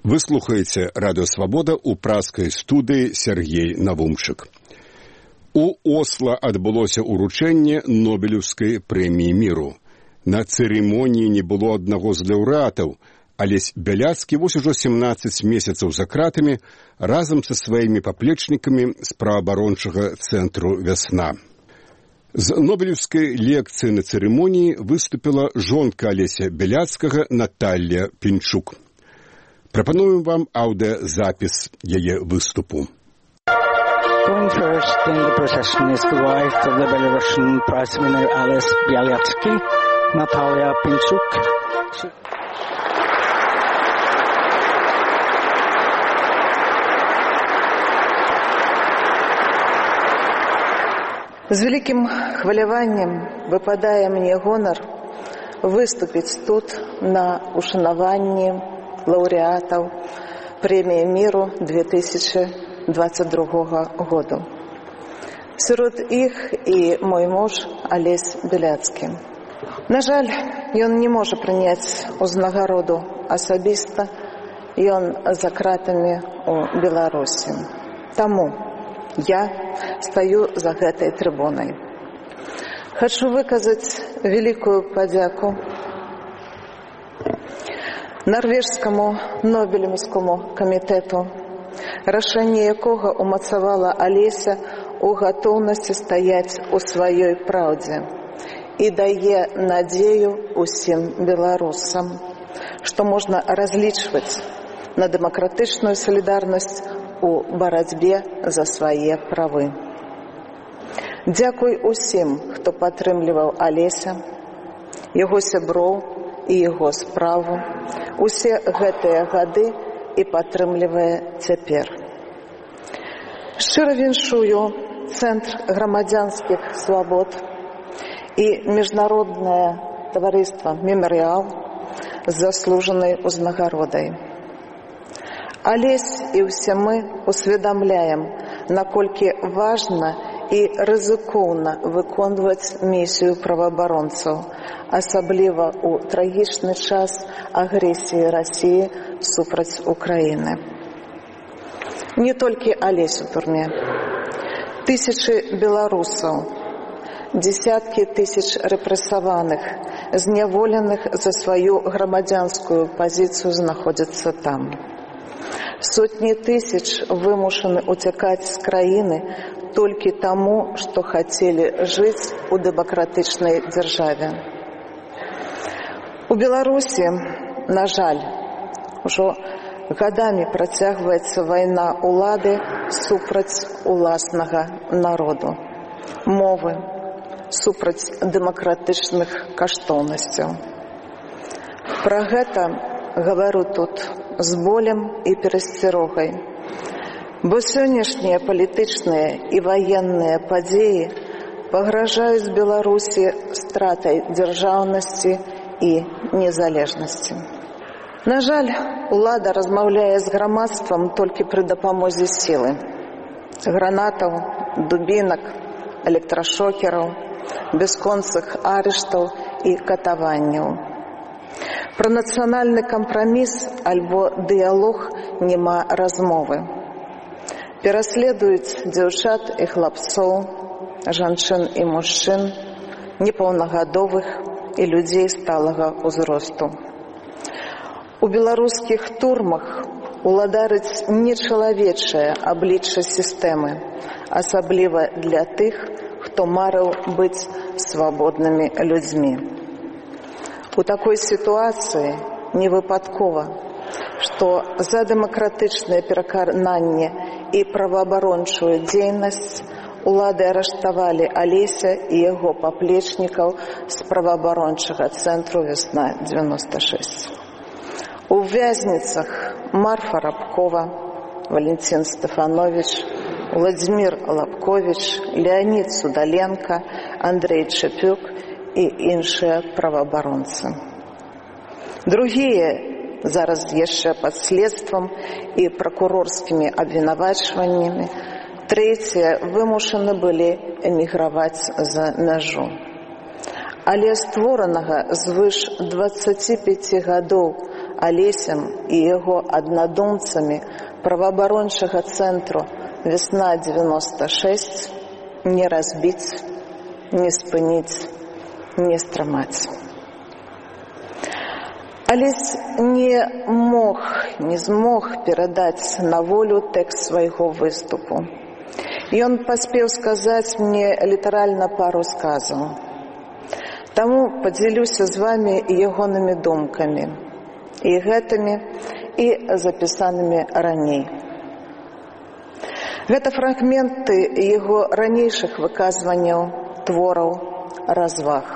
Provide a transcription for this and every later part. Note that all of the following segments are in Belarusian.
Вы слухаеце Радыё Свабода ў праскай студыі Сергей Навумчык. У Осла адбылося ўручэнне Нобелеўскай прэміі міру. На цырымоніі не было аднаго з лаўрэатаў, Алесь Бяляцкі вось ужо 17 месяцаў за кратамі разам са сваімі паплечнікамі з праваабарончага цэнтру «Вясна». З нобелеўскай лекцыі на цырымоніі выступіла жонка Алеся Бяляцкага Наталья Пінчук. Прапануем вам аўдыёзапіс яе выступу. Going first in the procession is the wife of the Belarusian Prize winner Ales Bialyatsky, Natalia Pinchuk. З вялікім хваляваннем выпадае мне гонар выступіць тут на ушанаванні лаўрэатаў прэміі міру 2022 году. Сярод іх і мой муж Алесь Бяляцкі. На жаль, ён не можа прыняць узнагароду асабіста, ён за кратамі ў Беларусі. Таму я стаю за гэтай трыбунай. Хачу выказаць вялікую падзяку Нарвежскому Нобелеўскому камітэту, рашэнне якога умацавала Алеся ў гатоўнасці стаяць у сваёй праўдзе і дае надзею усім беларусам, што можна разлічваць на дэмакратычную салідарнасць у барацьбе за свае правы. Дзякуй усім, хто падтрымліваў Алеся, яго сяброў і яго справу усе гэтыя гады і падтрымлівае цяпер. Шчыра віншую Цэнтр грамадзянскіх свабод і Міжнароднае таварыства «Мемарыял» з заслужанай узнагародай. Алесь і ўсе мы усведамляем, наколькі важна і рызыкоўна выконваць місію праваабаронцаў, асабліва ў трагічны час агрэсіі Расіі супраць Украіны. Не толькі Алесь у турме. Тысячы беларусаў, дзесяткі тысяч рэпрэсаваных, зняволеных за сваю грамадзянскую пазіцыю знаходзяцца там. Сотні тысяч вымушаны уцякаць з краіны толькі таму, што хацелі жыць у дэмакратычнай дзяржаве. У Беларусі, на жаль, ужо гадамі працягваецца вайна ўлады супраць уласнага народу, мовы, супраць дэмакратычных каштоўнасцяў. Пра гэта гавару тут з болем і перасцярогай, бо сённяшнія палітычныя і ваенныя падзеі пагражаюць Беларусі стратай дзяржаўнасці і незалежнасці. На жаль, улада размаўляе з грамадствам толькі пры дапамозе сілы, гранатаў, дубінак, электрашокераў, бясконцых арыштаў і катаванняў. Пра нацыянальны кампраміс альбо дыялог няма размовы. Пераследуюць дзяўчат і хлапцоў, жанчын і мужчын, непаўнагадовых і людзей сталага ўзросту. У беларускіх турмах уладарыць нечалавечае аблічча сістэмы, асабліва для тых, хто марыў быць свабоднымі людзьмі. У такой сітуацыі невыпадкова, што за дэмакратычнае перакананне і праваабарончую дзейнасць улады арыштавалі Алеся і яго паплечнікаў з праваабарончага цэнтру «Вясна-96». У вязніцах Марфа Рабкова, Валентин Стефанович, Владимир Лабкович, Леонид Судаленко, Андрей Чапюк і іншыя праваабаронцы. Другія зараз яшчэ пад следствам і пракурорскімі абвінавачваннямі, трэція вымушаны былі эміграваць за мяжу. Але створанага звыш 25 гадоў Алесем і яго аднадумцамі праваабарончага цэнтру «Весна-96» не разбіць, не спыніць, не стрымаць. Алесь не змог перадаць на волю тэкст свайго выступу. Ён паспеў сказаць мне літаральна пару сказаў. Таму падзялюся з вамі ягонымі думкамі, і гэтымі, і запісанымі раней. Гэта фрагменты яго ранейшых выказванняў, твораў, разваг.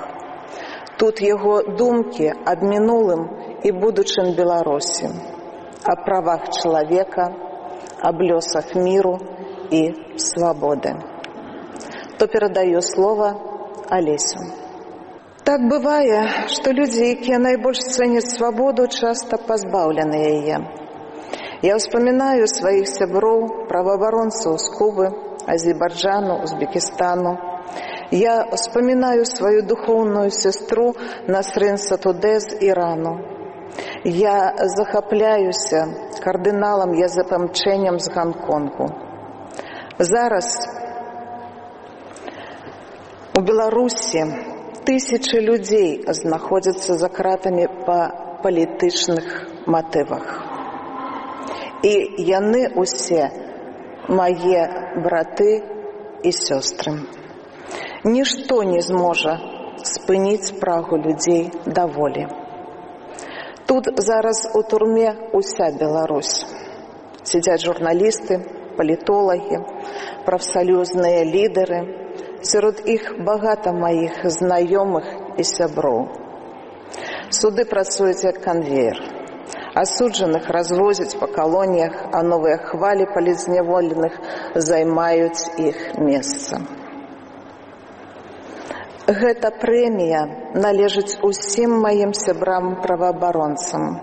Тут яго думкі аб мінулым і будучым Беларусі, аб правах чалавека, аб лёсах міру і свабоды. То перадаю слова Алесю. Так бывае, што людзі, якія найбольш цэняць свабоду, часта пазбаўлены яе. Я ўспамінаю сваіх сяброў, праваабаронцаў з Кубы, Азербайджану, Узбекістану. Я ўспамінаю сваю духоўную сестру Насрин Сатудэ з Ірану. Я захапляюся кардыналам Язэпам Чэнем з Гонконгу. Зараз у Беларусі тысячы людзей знаходзяцца за кратамі па палітычных матывах. І яны ўсе мае браты і сёстры. Нішто не зможа спыніць прагу людзей да волі. Тут зараз у турме уся Беларусь. Сядзяць журналісты, палітолагі, прафсаюзныя лідары. Сярод іх багата маіх знаёмых і сяброў. Суды працуюць як канвеер. Асуджаных развозяць па калоніях, а новыя хвалі палітзняволеных займаюць іх месца. Гэта прэмія належыць усім маім сябрам-праваабаронцам,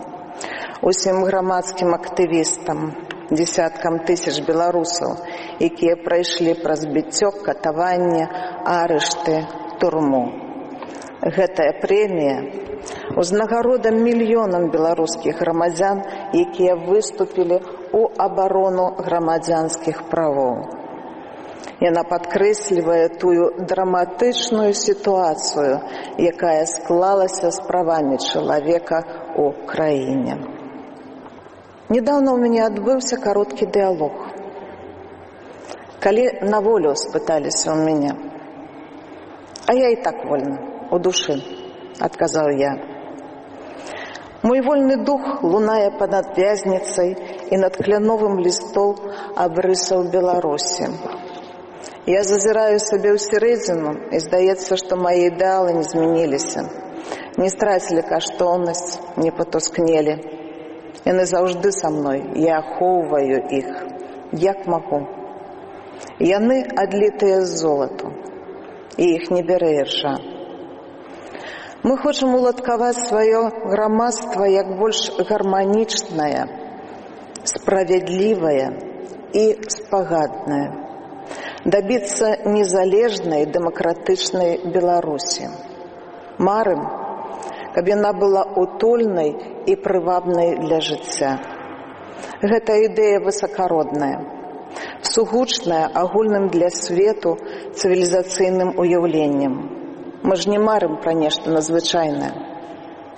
усім грамадскім актывістам, дзесяткам тысяч беларусаў, якія прайшлі праз біццё, катаванне, арышты, турму. Гэтая прэмія узнагарода мільёнам беларускіх грамадзян, якія выступілі ў абарону грамадзянскіх правоў. Яна падкрэслівае тую драматычную сітуацыю, якая склалася з правамі чалавека ў краіне. Недаўна ў мяне адбыўся кароткі дыялог. Калі на волю спыталіся ў мяне, а я і так вольна, у душы, адказаў я. Мой вольны дух лунае панад вязніцай і над кляновым лістом абрысаў Беларусі. Я зазіраю сабе ў сярэдзіну, і здаецца, што мае ідэалы не змяніліся, не страцілі каштоўнасць, не патускнелі. Яны заўжды са мной, я ахоўваю іх, як магу. Яны адлітыя з золату, і іх не бярэ іржа. Мы хочам уладкаваць сваё грамадства як больш гарманічнае, справядлівае і спагаднае, дабіцца незалежнай дэмакратычнай Беларусі. Марым, каб яна была утульнай і прывабнай для жыцця. Гэта ідэя высакародная, сугучная агульным для свету цывілізацыйным уяўленнем. Мы ж не марым пра нешта надзвычайнае.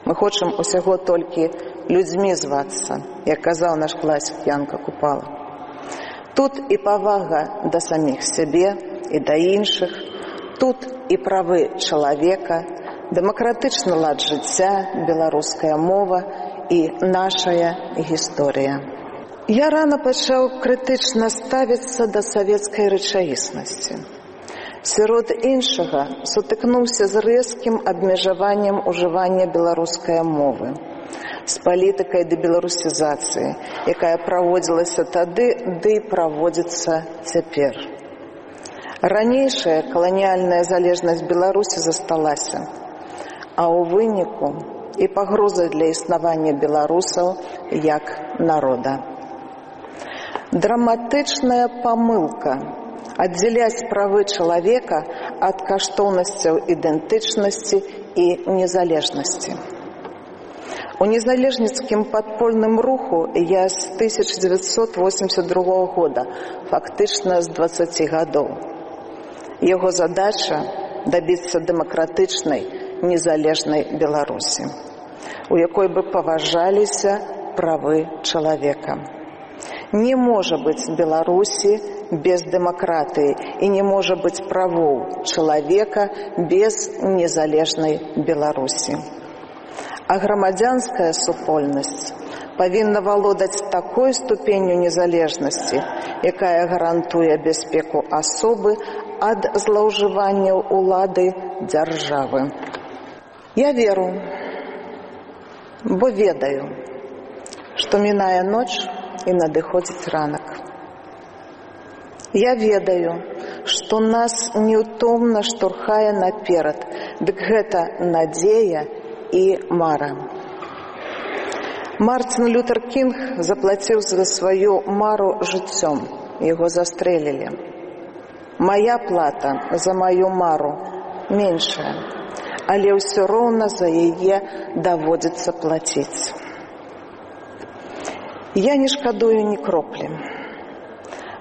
Мы хочам усяго толькі людзьмі звацца, як казаў наш класік Янка Купала. Тут і павага да саміх сябе і да іншых, тут і правы чалавека, дэмакратычны лад жыцця, беларуская мова і нашая гісторыя. Я рана пачаў крытычна ставіцца да савецкай рэчаіснасці. Сярод іншага сутыкнуўся з рэзкім абмежаваннем ужывання беларускай мовы, з палітыкай дебеларусізацыі, якая праводзілася тады, ды праводзіцца цяпер. Ранейшая каланіяльная залежнасць Беларусі засталася, а ў выніку і пагроза для існавання беларусаў як народа. Драматычная памылка аддзяляць правы чалавека ад каштоўнасцяў ідэнтычнасці і незалежнасці. У незалежніцкім падпольным руху я з 1982 года, фактычна з 20 гадоў. Яго задача – дабіцца дэмакратычнай, незалежнай Беларусі, у якой бы паважаліся правы чалавека. Не можа быць Беларусі без дэмакратыі і не можа быць правоў чалавека без незалежнай Беларусі. А грамадзянская супольнасць павінна валодаць такой ступенню незалежнасці, якая гарантуе бяспеку асобы ад злоўжыванняў улады дзяржавы. Я веру, бо ведаю, што мінае ноч і надыходзіць ранак. Я ведаю, што нас неўтомна штурхае наперад, дык гэта надзея і мара. Мартин Лютер Кінг заплаціў за сваю мару жыццём, яго застрэлілі. Мая плата за маю мару меншая, але ўсё роўна за яе даводзіцца плаціць. Я не шкадую ні кроплі,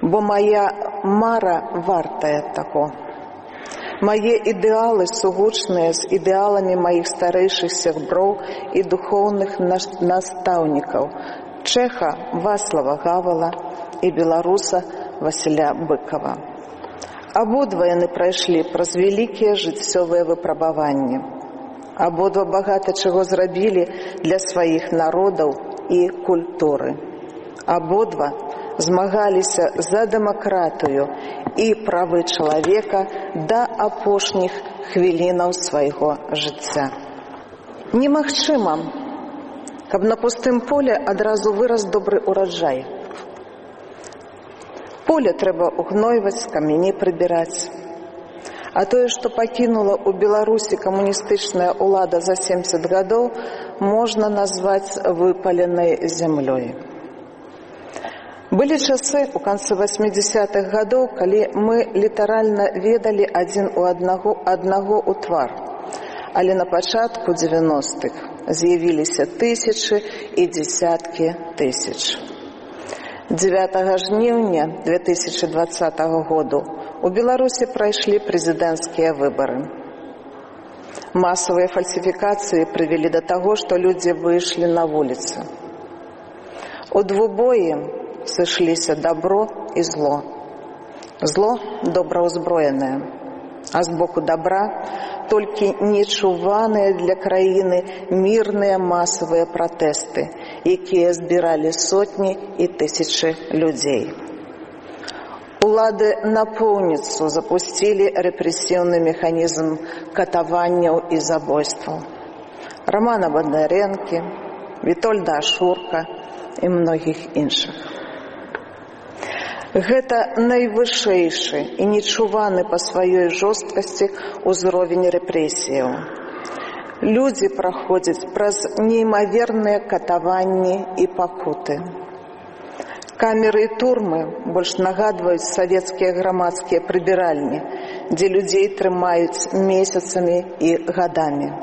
бо мая мара вартая таго. Мае ідэалы сугучныя з ідэаламі маіх старэйшых сяброў і духоўных настаўнікаў чэха Вацлава Гавала і беларуса Васіля Быкова. Абодва яны прайшлі праз вялікія жыццёвыя выпрабаванні. Абодва багата чаго зрабілі для сваіх народаў і культуры. Абодва змагаліся за дэмакратыю і правы чалавека да апошніх хвілінаў свайго жыцця. Немагчыма, каб на пустым поле адразу вырас добры ураджай. Поле трэба угнойваць, камяні прыбіраць. А тое, што пакінула ў Беларусі камуністычная ўлада за 70 гадоў, можна назваць выпаленай зямлёй. Былі часы ў канцы 80-х гадоў, калі мы літаральна ведалі адзін у аднаго ў твар. Але на пачатку 90-х з'явіліся тысячы і дзесяткі тысяч. 9 жніўня 2020 году у Беларусі прайшлі прэзідэнцкія выбары. Масавыя фальсіфікацыі прывялі да таго, што людзі выйшлі на вуліцы. У двубоі сышліся добро і зло. Зло добраўзброенае, а з боку добра толькі нечуваныя для краіны мірныя масавыя пратэсты, якія збіралі сотні і тысячы людзей. Улады напоўніцу запусцілі рэпрэсіўны механізм катаванняў і забойстваў. Романа Бондаренкі, Вітольда Ашурка і многіх іншых. Гэта найвышэйшы і нечуваны па сваёй жорсткасці ўзровень рэпрэсіяў. Людзі праходзяць праз неймаверныя катаванні і пакуты. Камеры і турмы больш нагадваюць савецкія грамадскія прыбіральні, дзе людзей трымаюць месяцамі і гадамі.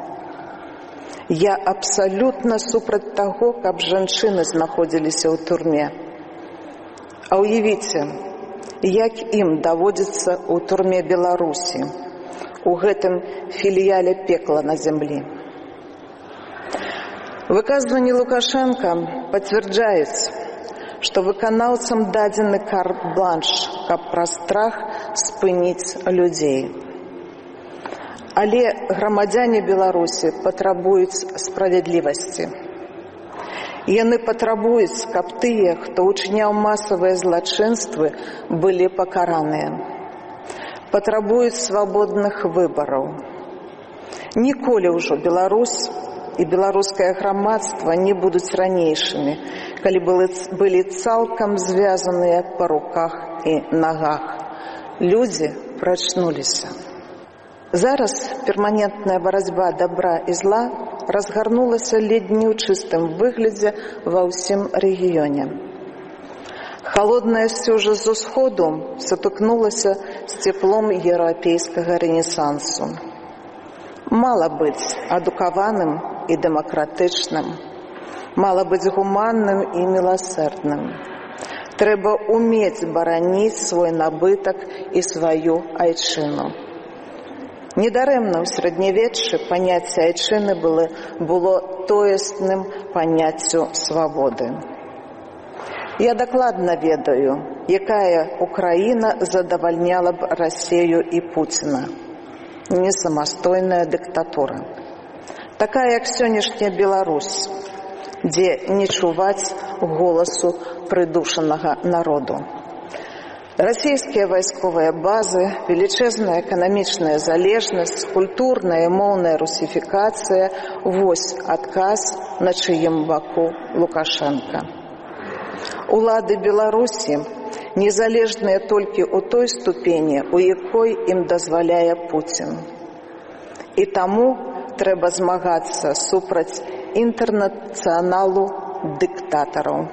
Я абсалютна супраць таго, каб жанчыны знаходзіліся ў турме. А уявіце, як ім даводзіцца ў турме Беларусі, у гэтым філіяле пекла на зямлі. Выказванні Лукашенка пацвярджаюць, што выканаўцам дадзены карт-бланш, каб праз страх спыніць людзей. Але грамадзяне Беларусі патрабуюць справядлівасці. Яны патрабуюць, каб тыя, хто ўчыняў масавыя злачынствы, былі пакараныя. Патрабуюць свабодных выбараў. Ніколі ўжо Беларусь і беларускае грамадства не будуць ранейшымі, калі былі цалкам звязаныя па руках і нагах. Людзі прачнуліся. Зараз перманентная барацьба добра і зла разгарнулася ледзь не ў чыстым выглядзе ва ўсім рэгіёне. Халодная сцюжа з усходу сутыкнулася з цеплом еўрапейскага рэнесансу. Мала быць адукаваным і дэмакратычным, Мала быць гуманным і міласэрдным. Трэба ўмець бараніць свой набытак і сваю айчыну. Недарэмна ў сярэднявеччы паняцце айчыны было тоесным паняццю свабоды. Я дакладна ведаю, якая Украіна задавальняла б Расею і Пуціна. Не самастойная дыктатура. Такая, як сённяшняя Беларусь, дзе не чуваць голасу прыдушанага народу. Расійскія вайсковыя базы, велічэзная эканамічная залежнасць, культурная і моўная русіфікацыя – вось адказ, на чыім баку Лукашенка. Улады Беларусі незалежныя толькі ў той ступені, у якой ім дазваляе Пуцін. І таму трэба змагацца супраць інтэрнацыяналу дыктатараў.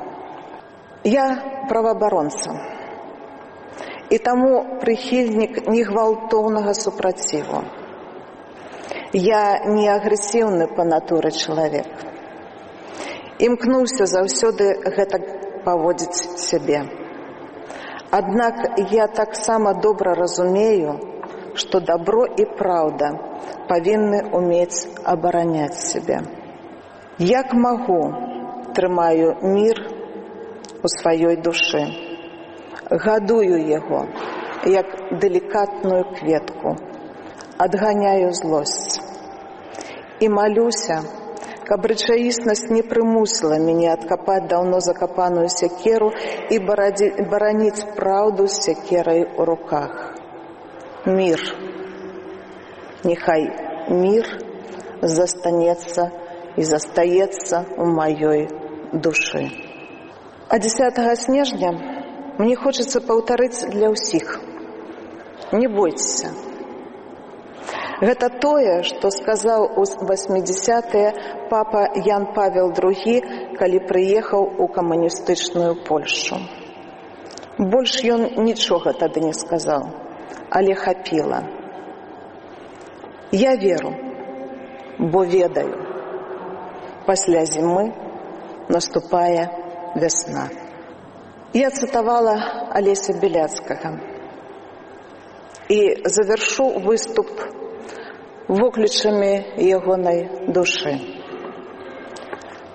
Я праваабаронца. І таму прыхільнік негвалтоўнага супраціву. Я не агрэсіўны па натуры чалавек. Імкнуўся заўсёды гэтак паводзіць сябе. Аднак я таксама добра разумею, што дабро і праўда павінны ўмець абараняць сябе. Як магу, трымаю мір у сваёй душы. Гадую яго, як далікатную кветку, адганяю злосць. І малюся, каб рэчаіснасць не прымусіла мяне адкапаць даўно закапаную сякеру і бараніць праўду з сякерай у руках. Мір. Няхай мір застанецца і застаецца ў маёй душы. А 10 снежня мне хочацца паўтарыць для ўсіх. Не бойцеся. Гэта тое, што сказаў у 80-е папа Ян Павел II, калі прыехаў у камуністычную Польшу. Больш ён нічога тады не сказаў, але хапіла. Я веру, бо ведаю. Пасля зімы наступае вясна. Я цытавала Алеся Беляцкага і завяршу выступ воклічамі ягонай душы.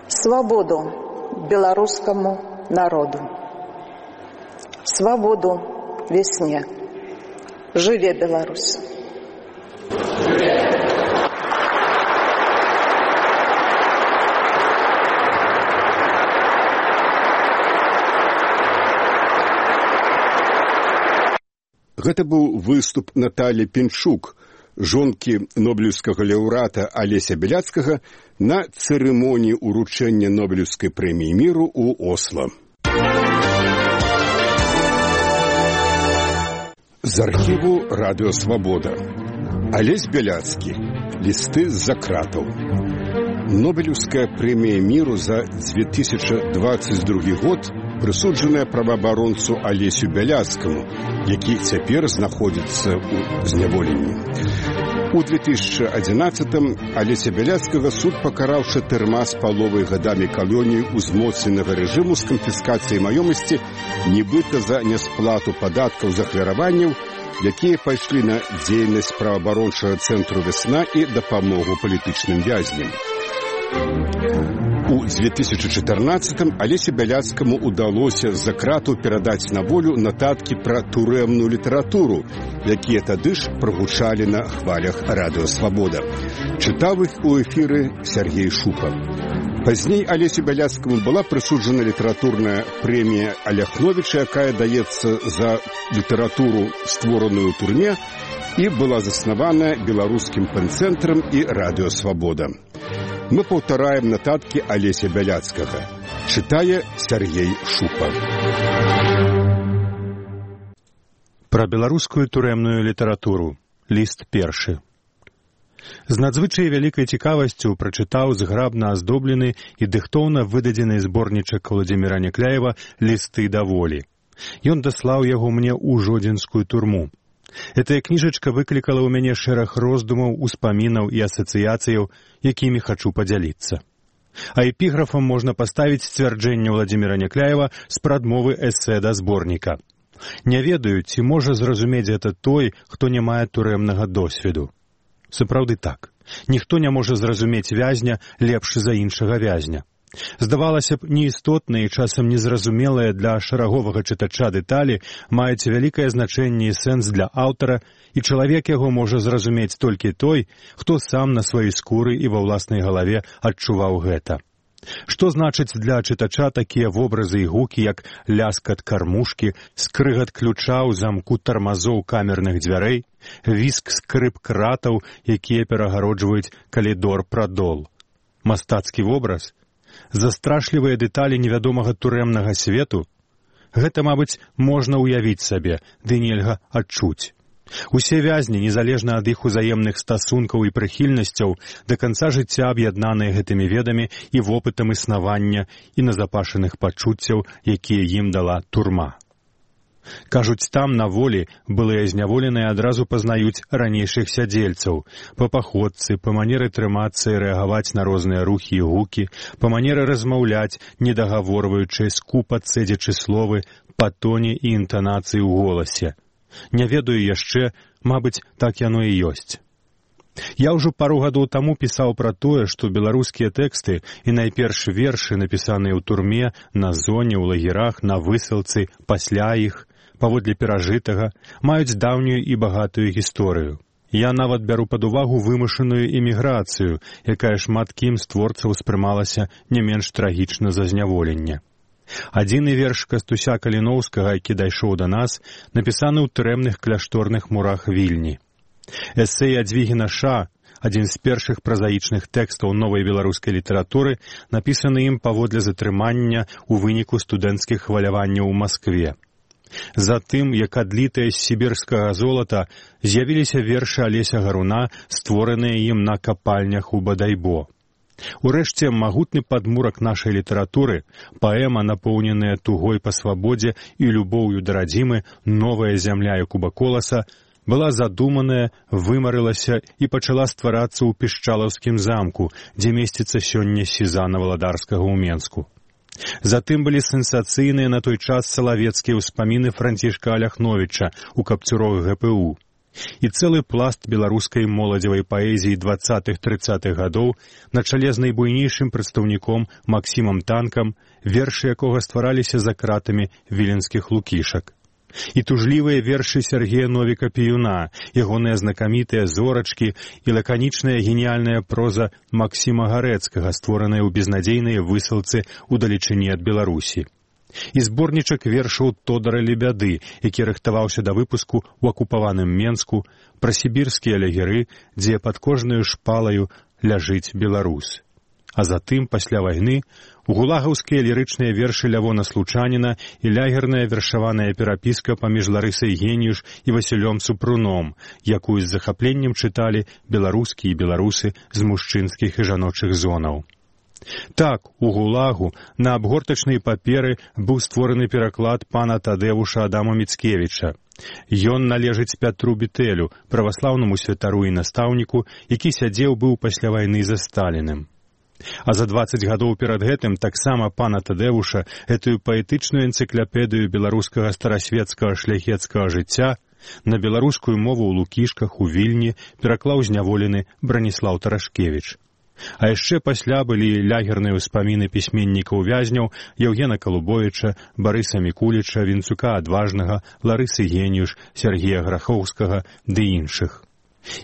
Свабоду беларускаму народу. Свабоду весне. Жыве Беларусь! Гэта быў выступ Наталі Пінчук, жонкі нобелеўскага лаўрэата Алеся Беляцкага на цырымоніі ўручэння Нобелеўскай прэміі міру ў Осла. З архіву Радыё Свабода. Алесь Беляцкі. Лісты з-за кратаў. Нобелеўская прэмія міру за 2022 год прысуджаная праваабаронцу Алесю Бяляцкаму, які цяпер знаходзіцца ў зняволенні. У 2011-м Алеся Бяляцкага суд пакараў 4,5 гадамі калоніі узмоцненага рэжыму з канфіскацыяй маёмасці, нібыта за нясплату падаткаў з ахвяраванняў, якія пайшлі на дзейнасць праваабарончага цэнтру «Вясна» і дапамогу палітычным вязням. У 2014-м Алесе Бяляцкаму удалося з-за кратаў перадаць на волю нататкі пра турэмную літаратуру, якія тады ж прагучалі на хвалях Радыё Свабода. Чытаў іх у эфіры Сергей Шупа. Пазней Алесю Бяляцкаму была прысуджана літаратурная прэмія Аляхновіча, якая даецца за літаратуру, створаную ў турме, і была заснавана беларускім пэнцэнтрам і Радыё Свабода. Мы паўтараем нататкі Алеся Бяляцкага. Чытае Сергей Шупа. Пра беларускую турэмную літаратуру. Ліст першы. З надзвычай вялікай цікавасцю прачытаў зграбна аздоблены і дыхтоўна выдадзены зборнічак Владзіміра Някляева «Лісты да волі». Ён даслаў яго мне ў жодзінскую турму. Гэтая кніжачка выклікала ў мяне шэраг роздумаў, успамінаў і асацыяцыяў, якімі хачу падзяліцца. А эпіграфам можна паставіць сцвярджэнне Владзіміра Някляева з прадмовы эсэ да зборніка. Не ведаю, ці можа зразумець гэта той, хто не мае турэмнага досведу. Сапраўды так. Ніхто не можа зразумець вязня лепш за іншага вязня. Здавалася б, неістотныя і часам незразумелыя для шараговага чытача дэталі маюць вялікае значэнне і сэнс для аўтара, і чалавек яго можа зразумець толькі той, хто сам на сваёй скуры і ва ўласнай галаве адчуваў гэта. Што значыць для чытача такія вобразы і гукі, як ляскат кармушкі, скрыгат ключа ў замку тармазоў камерных дзвярэй, віск скрып кратаў, якія перагароджваюць калідор-прадол. Мастацкі вобраз? Застрашлівыя дэталі невядомага турэмнага свету? Гэта, мабыць, можна ўявіць сабе, ды нельга адчуць. Усе вязні, незалежна ад іх узаемных стасункаў і прыхільнасцяў, да канца жыцця аб'яднаныя гэтымі ведамі і вопытам існавання і назапашаных пачуццяў, якія ім дала турма. Кажуць, там, на волі, былыя зняволеныя адразу пазнаюць ранейшых сядзельцаў, па паходцы, па манеры трымацца і рэагаваць на розныя рухі і гукі, па манеры размаўляць, недагаворваючы, скупа цэдзячы словы, па тоне і інтанацыі ў голасе. Не ведаю яшчэ, мабыць, так яно і ёсць. Я ўжо пару гадоў таму пісаў пра тое, што беларускія тэксты і найперш вершы, напісаныя ў турме, на зоне, ў лагерах, на высылцы, пасля іх, паводле перажытага, маюць даўнюю і багатую гісторыю. Я нават бяру пад увагу вымушаную эміграцыю, якая шмат кім з творцаў спрымалася не менш трагічна за зняволенне. Адзіны верш Кастуся Каліноўскага, які дайшоў да нас, напісаны ў турэмных кляшторных мурах Вільні. Эсэ Ядвігіна Ша, адзін з першых празаічных тэкстаў новай беларускай літаратуры, напісаны ім паводле затрымання ў выніку студэнцкіх хваляванняў у Маскве. Затым, як адлітыя з сібірскага золата, з'явіліся вершы Алеся Гаруна, створаныя ім на капальнях у Бадайбо. Урэшце, магутны падмурак нашай літаратуры, паэма, напоўненая тугой па свабодзе і любоўю да радзімы, новая зямля Якуба Коласа, была задуманая, вымарылася і пачала стварацца ў Пішчалаўскім замку, дзе месціцца сёння сізана Валадарскага ў Менску. Затым былі сенсацыйныя на той час салавецкія ўспаміны Францішка Аляхновіча ў капцюрах ГПУ. І цэлы пласт беларускай моладзевай паэзіі 20-30-х гадоў на чале з найбуйнейшым прадстаўніком Максімам Танкам, вершы якога ствараліся за кратамі віленскіх лукішак. І тужлівыя вершы Сергея Новіка-Піюна, ягоныя знакамітыя зорачкі і лаканічная геніяльная проза Максіма Гарэцкага, створаная ў безнадзейныя высылцы ў далечыні ад Беларусі. І зборнічак вершаў Тодара Лебяды, які рыхтаваўся да выпуску ў акупаваным Менску, пра сібірскія лагеры, дзе пад кожнаю шпалаю ляжыць беларус. А затым, пасля вайны, гулагаўскія лірычныя вершы Лявона Случаніна і лягерная вершаваная перапіска паміж Ларысай Геніюш і Васілём Супруном, якую з захапленнем чыталі беларускі і беларусы з мужчынскіх і жаночых зонаў. Так, у гулагу на абгортачнай паперы быў створаны пераклад пана Тадэвуша Адама Міцкевіча. Ён належыць Пятру Бітэлю, праваслаўнаму святару і настаўніку, які сядзеў быў пасля вайны за Сталіным. А за 20 гадоў перад гэтым таксама пана Тадэвуша гэтую паэтычную энцыклапедыю беларускага старасветскага шляхецкага жыцця на беларускую мову ў Лукішках у Вільні пераклаў зняволены Браніслаў Тарашкевіч. А яшчэ пасля былі лягерныя ўспаміны пісьменнікаў-вязняў Яўгена Калубовіча, Барыса Мікуліча, Вінцука Адважнага, Ларысы Геніюш, Сергея Грахоўскага ды іншых.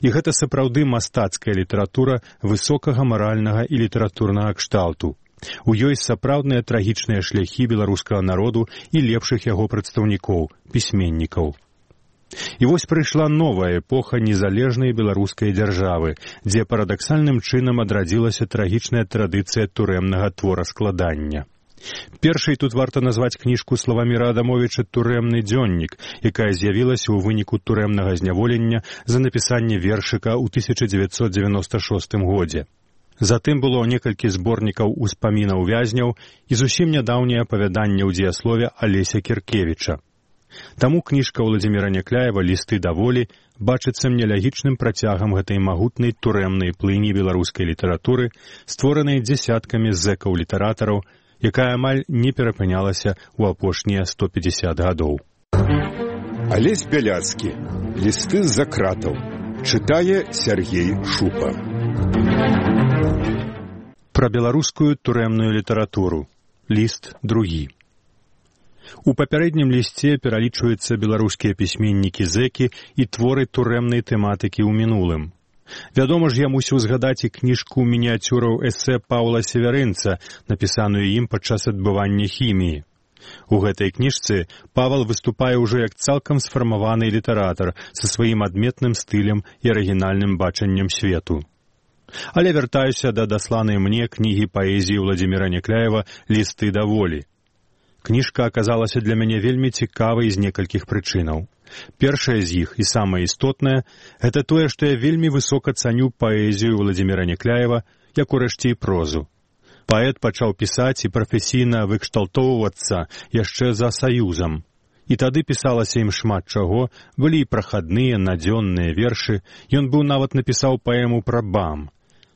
І гэта сапраўды мастацкая літаратура высокага маральнага і літаратурнага кшталту. У ёй сапраўдныя трагічныя шляхі беларускага народу і лепшых яго прадстаўнікоў, пісьменнікаў. І вось прыйшла новая эпоха незалежнай беларускай дзяржавы, дзе парадаксальным чынам адрадзілася трагічная традыцыя турэмнага твораскладання. Першай тут варта назваць кніжку Славаміра Адамовіча «Турэмны дзённік», якая з'явілася ў выніку турэмнага зняволення за напісанне вершыка ў 1996 годзе. Затым было некалькі зборнікаў успамінаў вязняў і зусім нядаўняе апавяданне ў дзеяслове Алеся Кіркевіча. Таму кніжка Уладзіміра Някляева «Лісты да волі» бачыцца мне лягічным працягам гэтай магутнай турэмнай плыні беларускай літаратуры, створанай дзясяткамі зэкаў-літаратараў, якая амаль не перапынялася ў апошнія 150 гадоў. Алесь Бяляцкі. «Лісты з-за кратаў». Чытае Сергей Шупа. Пра беларускую турэмную літаратуру. Ліст другі. У папярэднім лісце пералічваюцца беларускія пісьменнікі-зэкі і творы турэмнай тэматыкі ў мінулым. Вядома ж, я мусіў згадаць і кніжку мініяцюраў эсэ Паўла Северынца, напісаную ім падчас адбывання хіміі. У гэтай кніжцы Павал выступае ўжо як цалкам сфармаваны літаратар са сваім адметным стылем і арыгінальным бачаннем свету. Але вяртаюся да дасланай мне кнігі паэзіі Уладзіміра Някляева «Лісты да волі». Кніжка аказалася для мяне вельмі цікавай з некалькіх прычынаў. Першая з іх, і самая істотная, гэта тое, што я вельмі высока цаню паэзію Уладзіміра Някляева, як урэшце і прозу. Паэт пачаў пісаць і прафесійна выкшталтоўвацца яшчэ за саюзам. І тады пісалася ім шмат чаго, былі і прахадныя, надзённыя вершы, ён быў нават напісаў паэму пра БАМ.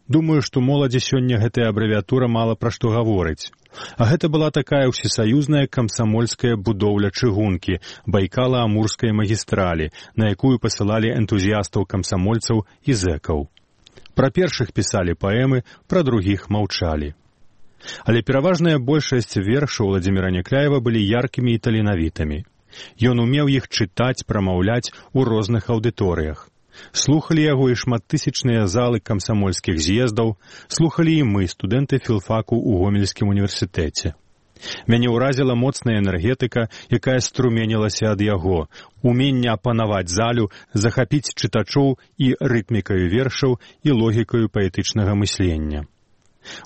Думаю, што моладзі сёння гэтая абрэвіатура мала пра што гаворыць. А гэта была такая ўсесаюзная камсамольская будоўля чыгункі, Байкала-Амурскай магістралі, на якую пасылалі энтузіястаў-камсамольцаў і зэкаў. Пра першых пісалі паэмы, пра другіх маўчалі. Але пераважная большасць вершаў Уладзіміра Някляева былі яркімі і таленавітымі. Ён умеў іх чытаць, прамаўляць у розных аўдыторыях. Слухалі яго і шматтысячныя залы камсамольскіх з'ездаў, слухалі і мы, студэнты філфаку ў Гомельскім універсітэце. Мяне ўразіла моцная энергетыка, якая струменілася ад яго, уменне апанаваць залю, захапіць чытачоў і рытмікаю вершаў і логікаю паэтычнага мыслення.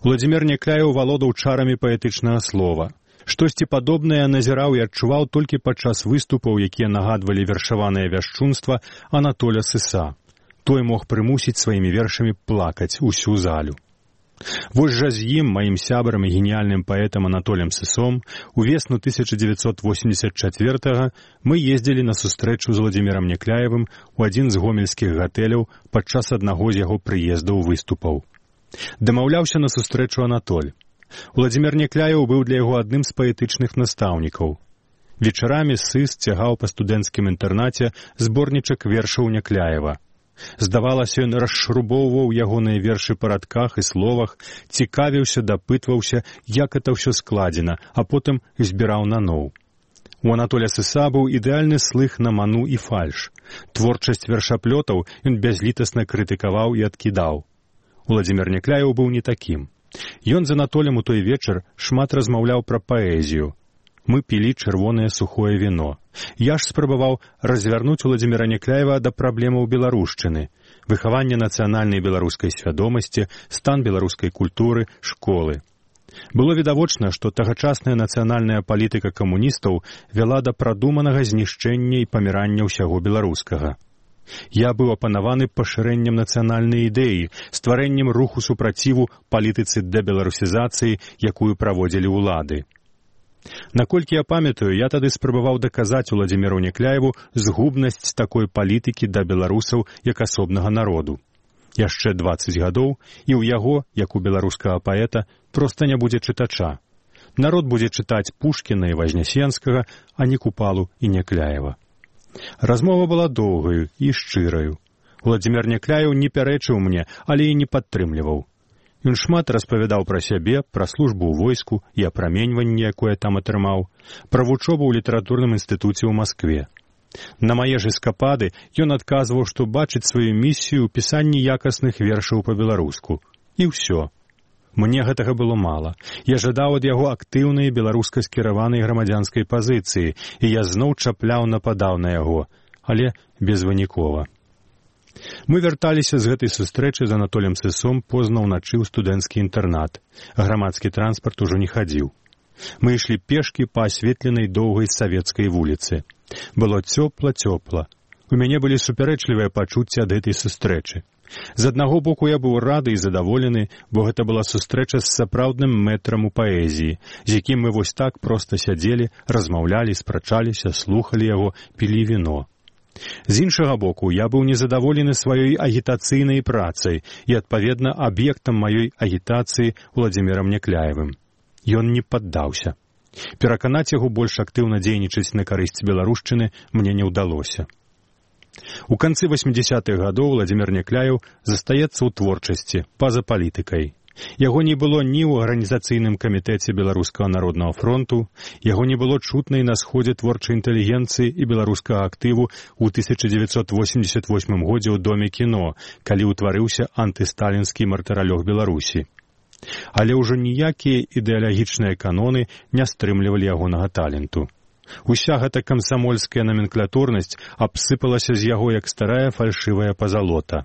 Уладзімір Някляеў валодаў чарамі паэтычнага слова. Штосьці падобнае назіраў і адчуваў толькі падчас выступаў, якія нагадвалі вершаванае вяшчунства Анатоля Сыса. Той мог прымусіць сваімі вершамі плакаць усю залю. Вось жа з ім, маім сябрам і геніяльным паэтам Анатолем Сысом, у весну 1984-го мы ездзілі на сустрэчу з Уладзімірам Някляевым у адзін з гомельскіх гатэляў падчас аднаго з яго прыездаў выступаў. Дамаўляўся на сустрэчу Анатоль. Уладзімір Някляеў быў для яго адным з паэтычных настаўнікаў. Вечарамі Сыс цягаў па студэнцкім інтэрнаце зборнічак вершаў Някляева. Здавалася, ён расшрубоўваў ягоныя вершы па радках і словах, цікавіўся, дапытваўся, як это ўсё складзена, а потым збіраў наноў. У Анатоля Сыса быў ідэальны слых на ману і фальш. Творчасць вершаплётаў ён бязлітасна крытыкаваў і адкідаў. Уладзімір Някляеў быў не такім. Ён з Анатолем у той вечар шмат размаўляў пра паэзію. Мы пілі чырвонае сухое віно. Я ж спрабаваў развярнуць Уладзіміра Някляева да праблемаў беларушчыны, выхавання нацыянальнай беларускай свядомасці, стан беларускай культуры, школы. Было відавочна, што тагачасная нацыянальная палітыка камуністаў вяла да прадуманага знішчэння і памірання ўсяго беларускага. Я быў апанаваны пашырэннем нацыянальнай ідэі, стварэннем руху супраціву палітыцы дэбеларусізацыі, якую праводзілі ўлады. Наколькі я памятаю, я тады спрабаваў даказаць Уладзіміру Някляеву згубнасць такой палітыкі да беларусаў як асобнага народу. Яшчэ 20 гадоў, і ў яго, як у беларускага паэта, проста не будзе чытача. Народ будзе чытаць Пушкіна і Вазнясенскага, а не Купалу і Някляева. Размова была доўгаю і шчыраю. Уладзімір Някляеў не пярэчыў мне, але і не падтрымліваў. Ён шмат распавядаў пра сябе, пра службу ў войску і апраменьванне, якое там атрымаў, пра вучобу ў літаратурным інстытуце ў Маскве. На мае ж эскапады ён адказваў, што бачыць сваю місію ў пісанні якасных вершаў па-беларуску. І ўсё. Мне гэтага было мала. Я жадаў ад яго актыўнай беларуска-скіраванай грамадзянскай пазіцыі, і я зноў чапляў, нападаў на яго, але безвынікова. Мы вярталіся з гэтай сустрэчы з Анатолем Сысом позна ўначы ў студэнцкі інтэрнат. Грамадскі транспарт ужо не хадзіў. Мы ішлі пешкі па асветленай доўгай савецкай вуліцы. Было цёпла-цёпла. У мяне былі супярэчлівыя пачуцці ад гэтай сустрэчы. З аднаго боку я быў рады і задаволены, бо гэта была сустрэча з сапраўдным мэтрам у паэзіі, з якім мы вось так проста сядзелі, размаўлялі, спрачаліся, слухалі яго, пілі віно. З іншага боку, я быў незадаволены сваёй агітацыйнай працай і, адпаведна, аб'ектам маёй агітацыі Уладзімірам Някляевым. Ён не паддаўся. Пераканаць яго больш актыўна дзейнічаць на карысць беларушчыны мне не ўдалося. У канцы 80-х гадоў Уладзімір Някляеў застаецца ў творчасці, па-за палітыкай. Яго не было ні ў арганізацыйным камітэце Беларускага народнага фронту, яго не было чутна і на сходзе творчай інтэлігенцыі і беларускага актыву ў 1988 годзе ў Доме кіно, калі ўтварыўся антысталінскі мартыралёг Беларусі. Але ўжо ніякія ідэалагічныя каноны не стрымлівалі ягонага таленту. Уся гэта камсамольская наменклатурнасць абсыпалася з яго, як старая фальшывая пазалота.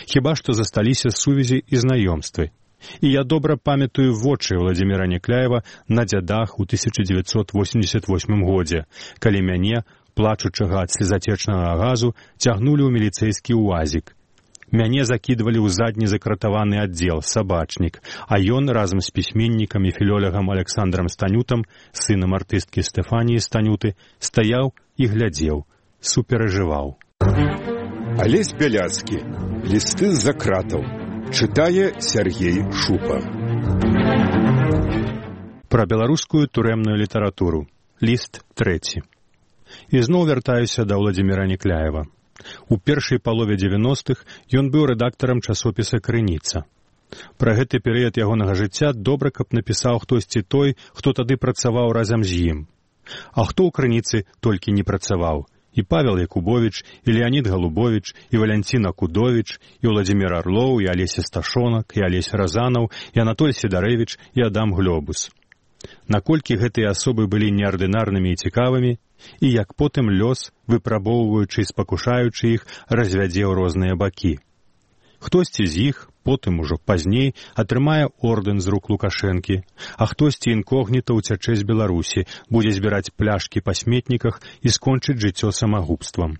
Хіба што засталіся сувязі і знаёмствы. І я добра памятаю вочы Уладзіміра Някляева на дзядах у 1988 годзе, калі мяне, плачучага ад слезатечнага газу, цягнулі ў міліцэйскі уазік. Мяне закідвалі ў задні закратаваны аддзел, сабачнік, а ён разам з пісьменнікам і філёлягам Александрам Станютам, сынам артысткі Стэфаніі Станюты, стаяў і глядзеў, суперажываў. Алесь Бяляцкі. Лісты з-за кратаў. Чытае Сергей Шупа. Пра беларускую турэмную літаратуру. Ліст 3. Ізноў вяртаюся да Уладзіміра Някляева. У першай палове 90-х ён быў рэдактарам часопіса «Крыніца». Пра гэты перыяд ягонага жыцця добра, каб напісаў хтосьці той, хто тады працаваў разам з ім. А хто ў «Крыніцы» толькі не працаваў? І Павел Якубович, і Леонід Голубович, і Валянціна Кудович, і Уладзімір Арлоў, і Алеся Сташонак, і Алесь Разанаў, і Анатоль Сідарэвіч, і Адам Глёбус. Наколькі гэтыя асобы былі неардынарнымі і цікавымі, і як потым лёс, выпрабоўваючы і спакушаючы іх, развядзе ў розныя бакі. Хтосьці з іх, потым ужо пазней, атрымае ордэн з рук Лукашэнкі, а хтосьці інкогніта ўцячэ з Беларусі, будзе збіраць пляшкі па сметніках і скончыць жыццё самагубствам.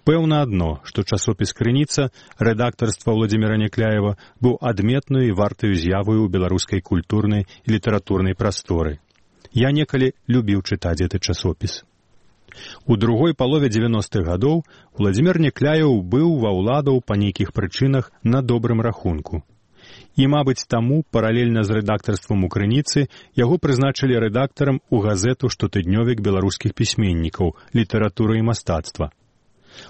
Пэўна адно, што часопіс «Крыніца», рэдактарства Уладзіміра Някляева, быў адметнаю і вартаю з'яваю ў беларускай культурнай і літаратурнай прасторы. Я некалі любіў чытаць гэты часопіс. У другой палове 90-х гадоў Уладзімір Някляеў быў ва ўладаў па нейкіх прычынах на добрым рахунку. І, мабыць, таму, паралельна з рэдактарствам у «Крыніцы», яго прызначылі рэдактарам у газету «Штотыднёвік беларускіх пісьменнікаў. Літаратура і мастацтва».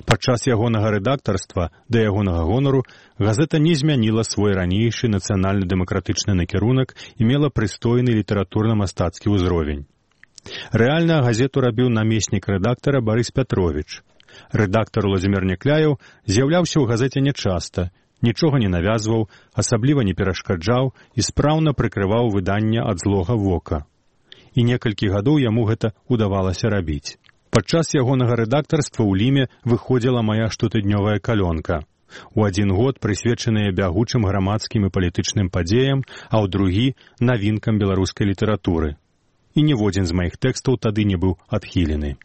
Падчас ягонага рэдактарства, да ягонага гонару, газета не змяніла свой ранейшы нацыянальна-дэмакратычны накірунак і мела прыстойны літаратурна-мастацкі ўзровень. Рэальна газету рабіў намеснік рэдактара Барыс Пятровіч. Рэдактар Уладзімір Някляеў з'яўляўся ў газеце нячаста, нічога не навязваў, асабліва не перашкаджаў і спраўна прыкрываў выданне ад злога вока. І некалькі гадоў яму гэта удавалася рабіць. Падчас ягонага рэдактарства ў Ліме выходзіла мая штотыднёвая калёнка. У адзін год прысвечаная бягучым грамадскім і палітычным падзеям, а ў другі — навінкам беларускай літаратуры. І ніводзін з маіх тэкстаў тады не быў адхілены.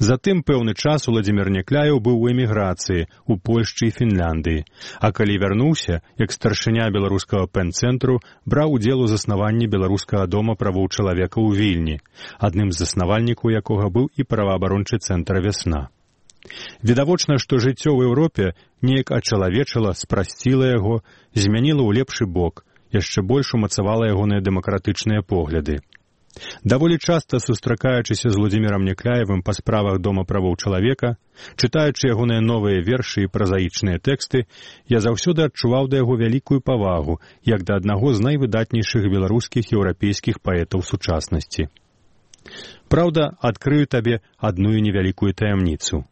Затым пэўны час Уладзімір Някляеў быў у эміграцыі ў Польшчы і Фінляндыі, а калі вярнуўся, як старшыня беларускага пэн-цэнтру, браў удзел у заснаванні беларускага дома правоў чалавека ў Вільні, адным з заснавальнікаў якога быў і праваабарончы цэнтр «Вясна». Відавочна, што жыццё ў Еўропе неяк ачалавечыла, спрасціла яго, змяніла ў лепшы бок, яшчэ больш умацавала ягоныя дэмакратычныя погляды. Даволі часта сустракаючыся з Уладзімірам Някляевым па справах Дома правоў чалавека, чытаючы ягоныя новыя вершы і празаічныя тэксты, я заўсёды адчуваў да яго вялікую павагу, як да аднаго з найвыдатнейшых беларускіх еўрапейскіх паэтаў сучаснасці. Праўда, адкрыю табе адную невялікую таямніцу.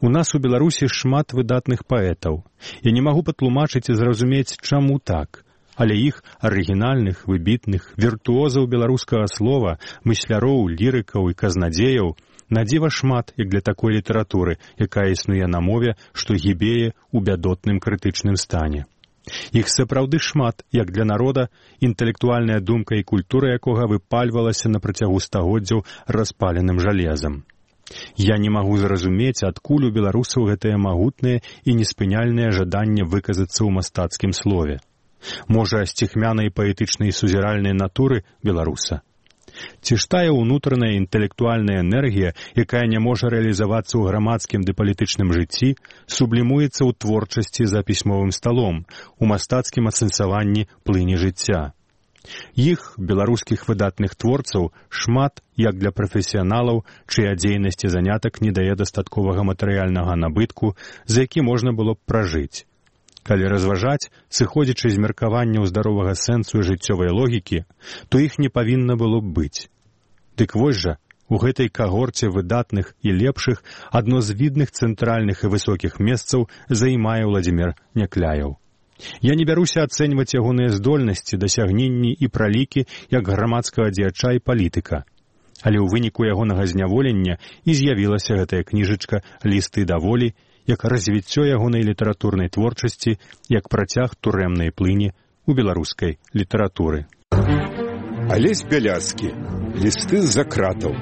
У нас у Беларусі шмат выдатных паэтаў. Я не магу патлумачыць і зразумець, чаму так. Але іх арыгінальных, выбітных, віртуозаў беларускага слова, мысляроў, лірыкаў і казнадзеяў надзіва шмат, як для такой літаратуры, якая існуе на мове, што гібее ў бядотным крытычным стане. Іх сапраўды шмат, як для народа, інтэлектуальная думка і культура якога выпальвалася на працягу стагоддзяў распаленым жалезам. Я не магу зразумець, адкуль у беларусаў гэтае магутнае і неспыняльнае жаданне выказацца ў мастацкім слове. Можа, сціхмянай паэтычнай сузіральнай натуры беларуса? Ці ж тая ўнутраная інтэлектуальная энергія, якая не можа рэалізавацца ў грамадскім ды палітычным жыцці, сублімуецца ў творчасці за пісьмовым сталом, у мастацкім асэнсаванні плыні жыцця. Іх, беларускіх выдатных творцаў, шмат як для прафесіяналаў, чыя дзейнасць і занятак не дае дастатковага матэрыяльнага набытку, за які можна было б пражыць. Калі разважаць, сыходзячы з меркаванняў здаровага сэнсу і жыццёвай логікі, то іх не павінна было б быць. Дык вось жа, у гэтай кагорце выдатных і лепшых адно з відных цэнтральных і высокіх месцаў займае Владзімір Някляеў. Я не бяруся ацэньваць ягоныя здольнасці, дасягненні і пралікі як грамадскага дзеяча і палітыка. Але ў выніку ягонага зняволення і з'явілася гэтая кніжачка «Лісты да волі», як развіццё ягонай літаратурнай творчасці, як працяг турэмнай плыні ў беларускай літаратуры. Алесь Бяляцкі. Лісты з-за кратаў.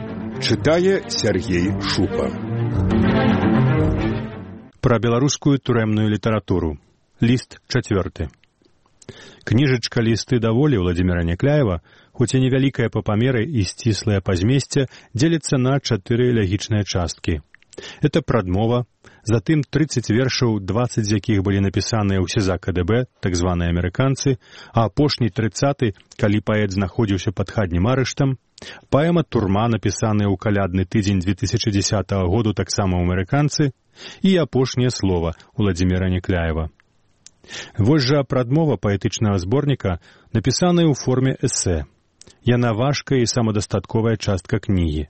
Чытае Сергей Шупа. Пра беларускую турэмную літаратуру. Ліст 4. Кніжачка «Лісты да волі» Владзіміра Някляева, хоць і невялікая па памеры і сціслая па змесце, дзеліцца на 4 лягічныя часткі. Это прадмова, затым 30 вершаў, 20 з якіх былі напісаныя ў СІЗА КДБ, так званыя амерыканцы, а апошні 30-й, калі паэт знаходзіўся пад хатнім арыштам, паэма «Турма», напісаная ў калядны тыдзень 2010 году таксама ў амерыканцы, і апошняе слова Владзіміра Някляева. Вось жа прадмова паэтычнага зборніка, напісаная ў форме эсэ. Яна важкая і самадастатковая частка кнігі.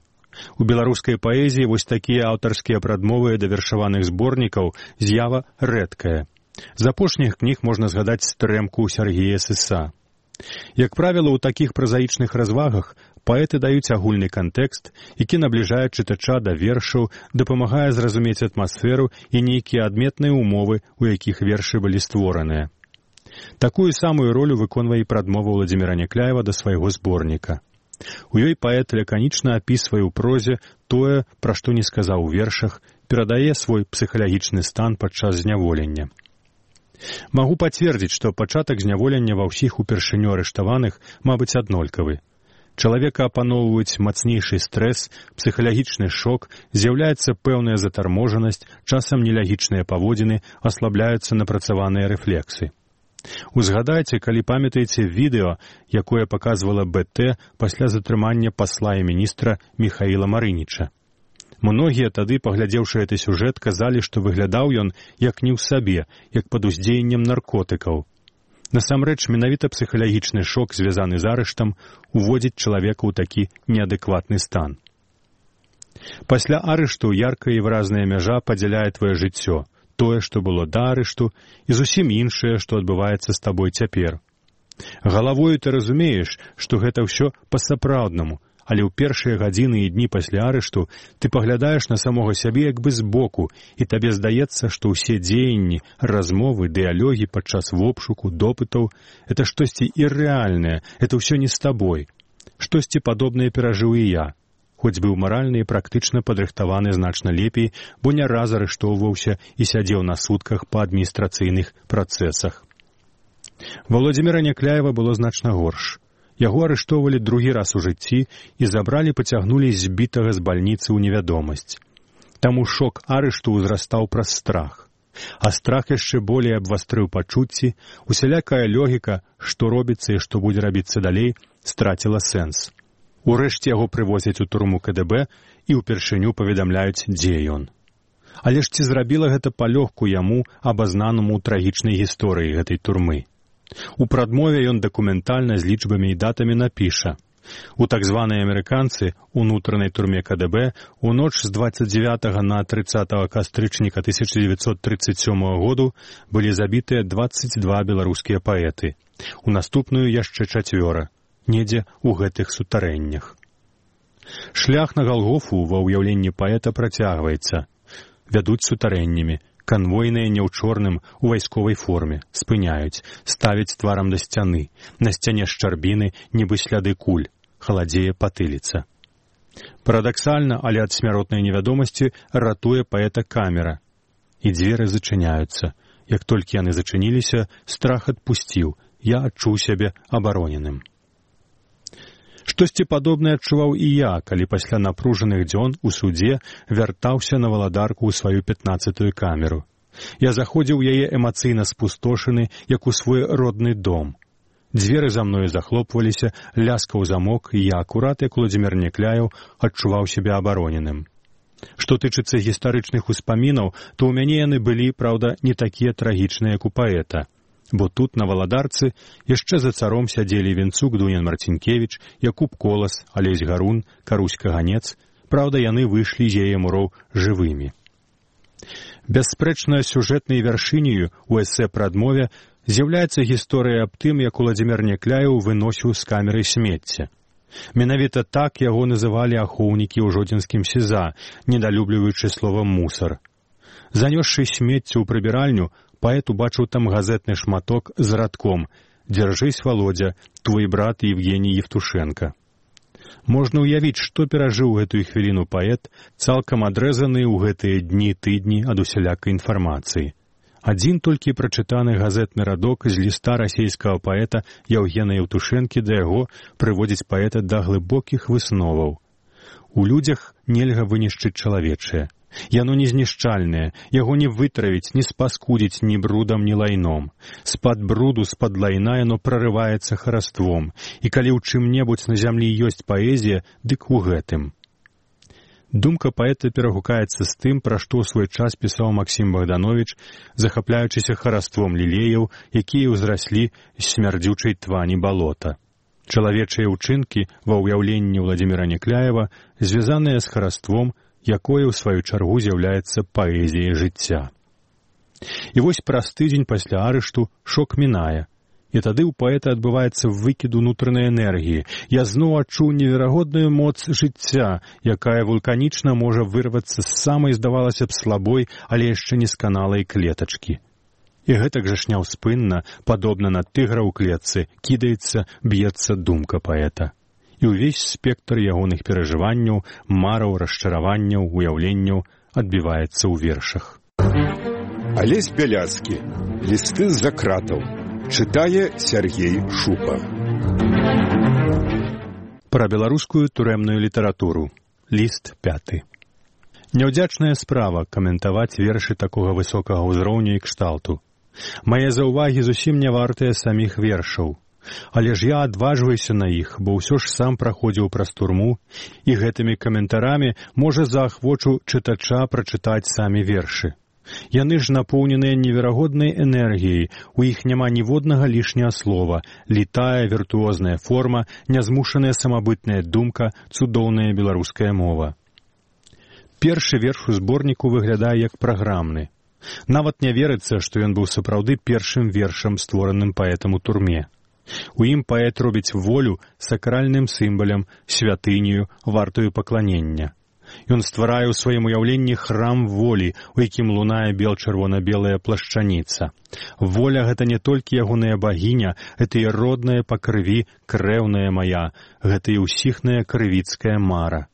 У беларускай паэзіі вось такія аўтарскія прадмовы да вершаваных зборнікаў з'ява рэдкая. З апошніх кніг можна згадаць «Стрэмку» Сергія Сыса. Як правіла, у такіх празаічных развагах паэты даюць агульны кантэкст, які набліжае чытача да вершаў, дапамагае зразумець атмасферу і нейкія адметныя умовы, у якіх вершы былі створаныя. Такую самую ролю выконвае і прадмова Владзіміра Някляева да свайго зборніка. У ёй паэт лаканічна апісвае ў прозе тое, пра што не сказаў у вершах, перадае свой псіхалагічны стан падчас зняволення. Магу пацвердзіць, што пачатак зняволення ва ўсіх упершыню арыштаваных, мабыць, аднолькавы. Чалавека апаноўваюць мацнейшы стрэс, псіхалагічны шок, з'яўляецца пэўная затарможанасць, часам нелягічныя паводзіны, аслабляюцца напрацаваныя рэфлексы. Узгадайце, калі памятаеце відэо, якое паказвала БТ пасля затрымання пасла і міністра Міхаіла Марыніча. Многія тады, паглядзеўшы гэты сюжэт, казалі, што выглядаў ён як не ў сабе, як пад уздзеяннем наркотыкаў. Насамрэч, менавіта псіхалагічны шок, звязаны з арыштам, уводзіць чалавека ў такі неадэкватны стан. Пасля арышту яркая і выразная мяжа падзяляе твоё жыццё, тое, што было да арышту, і зусім іншае, што адбываецца з табой цяпер. Галавою ты разумееш, што гэта ўсё па-сапраўднаму, але ў першыя гадзіны і дні пасля арышту ты паглядаеш на самога сябе як бы збоку, і табе здаецца, што ўсе дзеянні, размовы, дыялогі падчас вобшуку, допытаў — это штосьці іррэальнае, это ўсё не з табой. Штосьці падобнае перажыў і я. Хоць быў маральна і практычна падрыхтаваны значна лепей, бо не раз арыштоўваўся і сядзеў на сутках па адміністрацыйных працэсах. Владзіміра Някляева было значна горш. Яго арыштоўвалі другі раз у жыцці і забралі, пацягнулі збітага з бальніцы ў невядомасць. Таму шок арышту ўзрастаў праз страх. А страх яшчэ болей абвастрыў пачуцці, усялякая логіка, што робіцца і што будзе рабіцца далей, страціла сэнс. Урэшце яго прывозяць у турму КДБ і ўпершыню паведамляюць, дзе ён. Але ж ці зрабіла гэта палёгку яму, абазнанаму ў трагічнай гісторыі гэтай турмы? У прадмове ён дакументальна з лічбамі і датамі напіша. У так званыя амерыканцы, унутранай турме КДБ, у ноч з 29 на 30 кастрычніка 1937 году былі забітыя 22 беларускія паэты. У наступную яшчэ 4. Недзе ў гэтых сутарэннях. Шлях на Галгофу ва ўяўленні паэта працягваецца. Вядуць сутарэннямі, канвойныя не ў чорным, у вайсковай форме, спыняюць, ставяць тварам да сцяны, на сцяне шчарбіны, нібы сляды куль, халадзее патыліца. Парадаксальна, але ад смяротнай невядомасці ратуе паэта камера. І дзверы зачыняюцца. Як толькі яны зачыніліся, страх адпусціў. Я адчуў сябе абароненым. Штосьці падобнае адчуваў і я, калі пасля напружаных дзён у судзе вяртаўся на валадарку ў сваю 15-ю камеру. Я заходзіў у яе эмацыйна спустошаны, як у свой родны дом. Дзверы за мною захлопваліся, ляскаў замок, і я акурат, як Уладзімір Някляеў, адчуваў сябе абароненым. Што тычыцца гістарычных успамінаў, то ў мяне яны былі, праўда, не такія трагічныя, як у паэта. Бо тут, на валадарцы, яшчэ за царом сядзелі Венцук Дунян Марцінкевіч, Якуб Колас, Алесь Гарун, Карусь Каганец. Праўда, яны выйшлі з яе муроў жывымі. Бясспрэчна сюжэтнай вяршыняю у эсэ пра адмове з'яўляецца гісторыя аб тым, як Уладзімір Някляеў выносіў з камеры смецце. Менавіта так яго называлі ахоўнікі ў жодзінскім СІЗА, недалюбліваючы словам «мусар». Занёсшы смецце ў прыбіральню, паэт убачыў там газетны шматок з радком «Дзяржысь, Володя, твой брат Евгений Евтушенко». Можна ўявіць, што перажыў гэтую хвіліну паэт, цалкам адрэзаны ў гэтыя дні-тыдні ад усялякай інфармацыі. Адзін толькі прачытаны газетны радок з ліста расейскага паэта Яўгена Евтушэнкі да яго прыводзіць паэта да глыбокіх высноваў. У людзях нельга вынішчыць чалавечае. Яно не знішчальнае, яго не вытравіць, не спаскудзіць ні брудам, ні лайном. З-пад бруду, з-пад лайна яно прарываецца хараством, і калі ў чым-небудзь на зямлі ёсць паэзія, дык у гэтым. Думка паэта перагукаецца з тым, пра што ў свой час пісаў Максім Богданович, захапляючыся хараством лілеяў, якія ўзраслі з смярдзючай твані балота. Чалавечыя ўчынкі ва ўяўленні Уладзіміра Някляева звязаныя з хараством, якое ў сваю чаргу з'яўляецца паэзіяй жыцця. І вось праз тыдзень пасля арышту шок мінае. І тады ў паэта адбываецца выкід унутранай энергіі. Я зноў адчуў неверагодную моц жыцця, якая вулканічна можа вырвацца з самай, здавалася б, слабой, але яшчэ несканалай клетачкі. І гэтак жа ж няўспынна, падобна на тыгра ў клетцы, кідаецца, б'ецца думка паэта. І ўвесь спектр ягоных перажыванняў, мараў, расчараванняў, уяўленняў адбіваецца ў вершах. Алесь Бяляцкі. Лісты з-за кратаў. Чытае Сергей Шупа. Пра беларускую турэмную літаратуру. Ліст 5. Няўдзячная справа каментаваць вершы такога высокага ўзроўню і кшталту. Мае заўвагі зусім не вартыя саміх вершаў. Але ж я адважваюся на іх, бо ўсё ж сам праходзіў праз турму, і гэтымі каментарамі можа заахвочу чытача прачытаць самі вершы. Яны ж напоўненыя неверагоднай энергіяй, у іх няма ніводнага лішняга слова, літая віртуозная форма, нязмушаная самабытная думка, цудоўная беларуская мова. Першы верш у зборніку выглядае як праграмны. Нават не верыцца, што ён быў сапраўды першым вершам, створаным паэтам у турме. У ім паэт робіць волю сакральным сімвалам, святыню, вартую пакланення. Ён стварае ў сваім уяўленні храм волі, у якім лунае бел-чырвона-белая плашчаніца. Воля — гэта не толькі ягоная багіня, гэта і родная па крыві, крэўная мая, гэта і ўсіхная крывіцкая мара.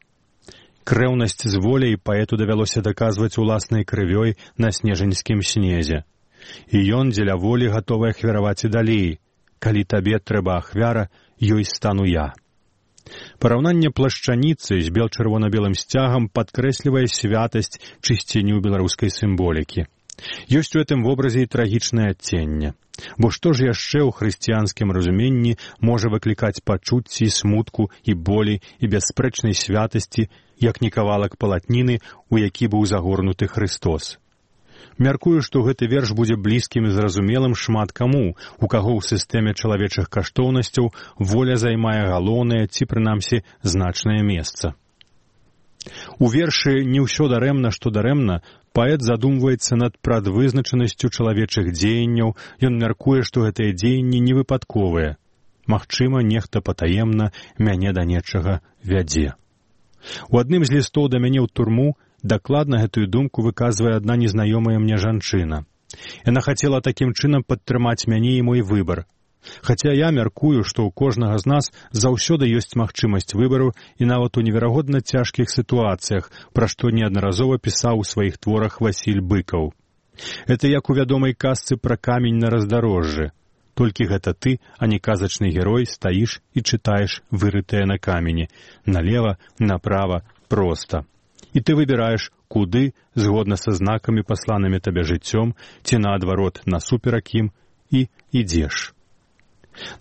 Крэўнасць з воляй паэту давялося даказваць уласнай крывёй на снежаньскім снезе. І ён дзеля волі гатовы ахвяраваць і далей. Калі табе трэба ахвяра, ёй стану я. Параўнанне плашчаніцы з бел-чырвона-белым сцягам падкрэслівае святасць, чысціню беларускай сімволікі. Ёсць у гэтым вобразе і трагічнае адценне. Бо што ж яшчэ ў хрысціянскім разуменні можа выклікаць пачуцці, смутку і болі і бясспрэчнай святасці, як не кавалак палатніны, у які быў загорнуты Христос. Мяркую, што гэты верш будзе блізкім і зразумелым шмат каму, у каго ў сістэме чалавечых каштоўнасцяў воля займае галоўнае ці, прынамсі, значнае месца. У вершы «Не ўсё дарэмна, што дарэмна» паэт задумваецца над прадвызначанасцю чалавечых дзеянняў, ён мяркуе, што гэтыя дзеянні невыпадковыя. Магчыма, нехта патаемна мяне да нечага вядзе. У адным з лістоў да мяне ў турму дакладна гэтую думку выказвае адна незнаёмая мне жанчына. Яна хацела такім чынам падтрымаць мяне і мой выбар. Хаця я мяркую, што ў кожнага з нас заўсёды ёсць магчымасць выбару і нават у неверагодна цяжкіх сітуацыях, пра што неаднаразова пісаў у сваіх творах Васіль Быкаў. Это як у вядомай казцы пра камень на раздарожжы. Толькі гэта ты, а не казачны герой, стаіш і чытаеш вырытае на камені. Налева, направа, проста. І ты выбіраеш, куды, згодна са знакамі, пасланымі табе жыццём, ці наадварот, насуперак ім, і ідзеш.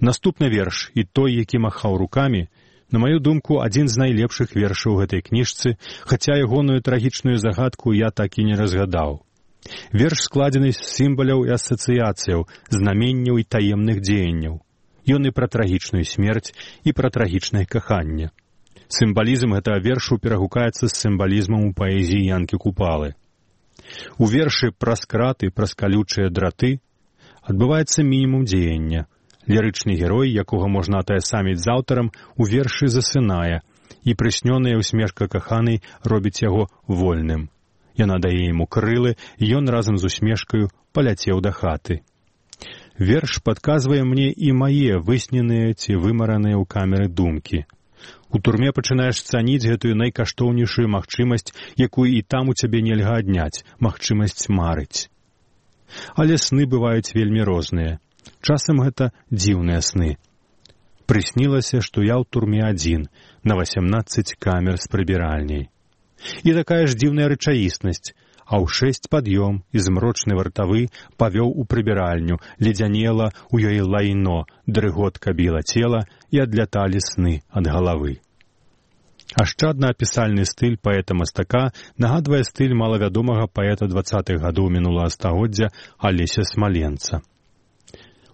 Наступны верш, і той, які махаў рукамі, на маю думку, адзін з найлепшых вершаў гэтай кніжцы, хаця ягоную трагічную загадку я так і не разгадаў. Верш складзены з сімваляў і асацыяцыяў, знаменняў і таемных дзеянняў. Ён і пра трагічную смерць, і пра трагічнае каханне. Сімвалізм гэтага вершу перагукаецца з сімвалізмам у паэзіі Янкі Купалы. У вершы пра скраты, пра калючыя драты адбываецца мінімум дзеяння. Лірычны герой, якога можна атаясаміць з аўтарам, у вершы засынае, і прыснёная усмешка каханай робіць яго вольным. Яна дае яму крылы, і ён разам з усмешкаю паляцеў да хаты. Верш падказвае мне і мае высненыя ці вымараныя ў камеры думкі. У турме пачынаеш цаніць гэтую найкаштоўнейшую магчымасць, якую і там у цябе нельга адняць, магчымасць марыць. Але сны бываюць вельмі розныя. Часам гэта дзіўныя сны. Прыснілася, што я ў турме адзін, на 18 камер з прыбіральняй. І такая ж дзіўная рэчаіснасць, а ў 6 пад'ём і змрочны вартавы павёў у прыбіральню, ледзянела ў ёй лайно, дрыготка біла цела і адляталі сны ад галавы. Ашчадна-апісальны стыль паэта-мастака нагадвае стыль малавядомага паэта 20-х гадоў мінулага стагоддзя Алеся Смаленца.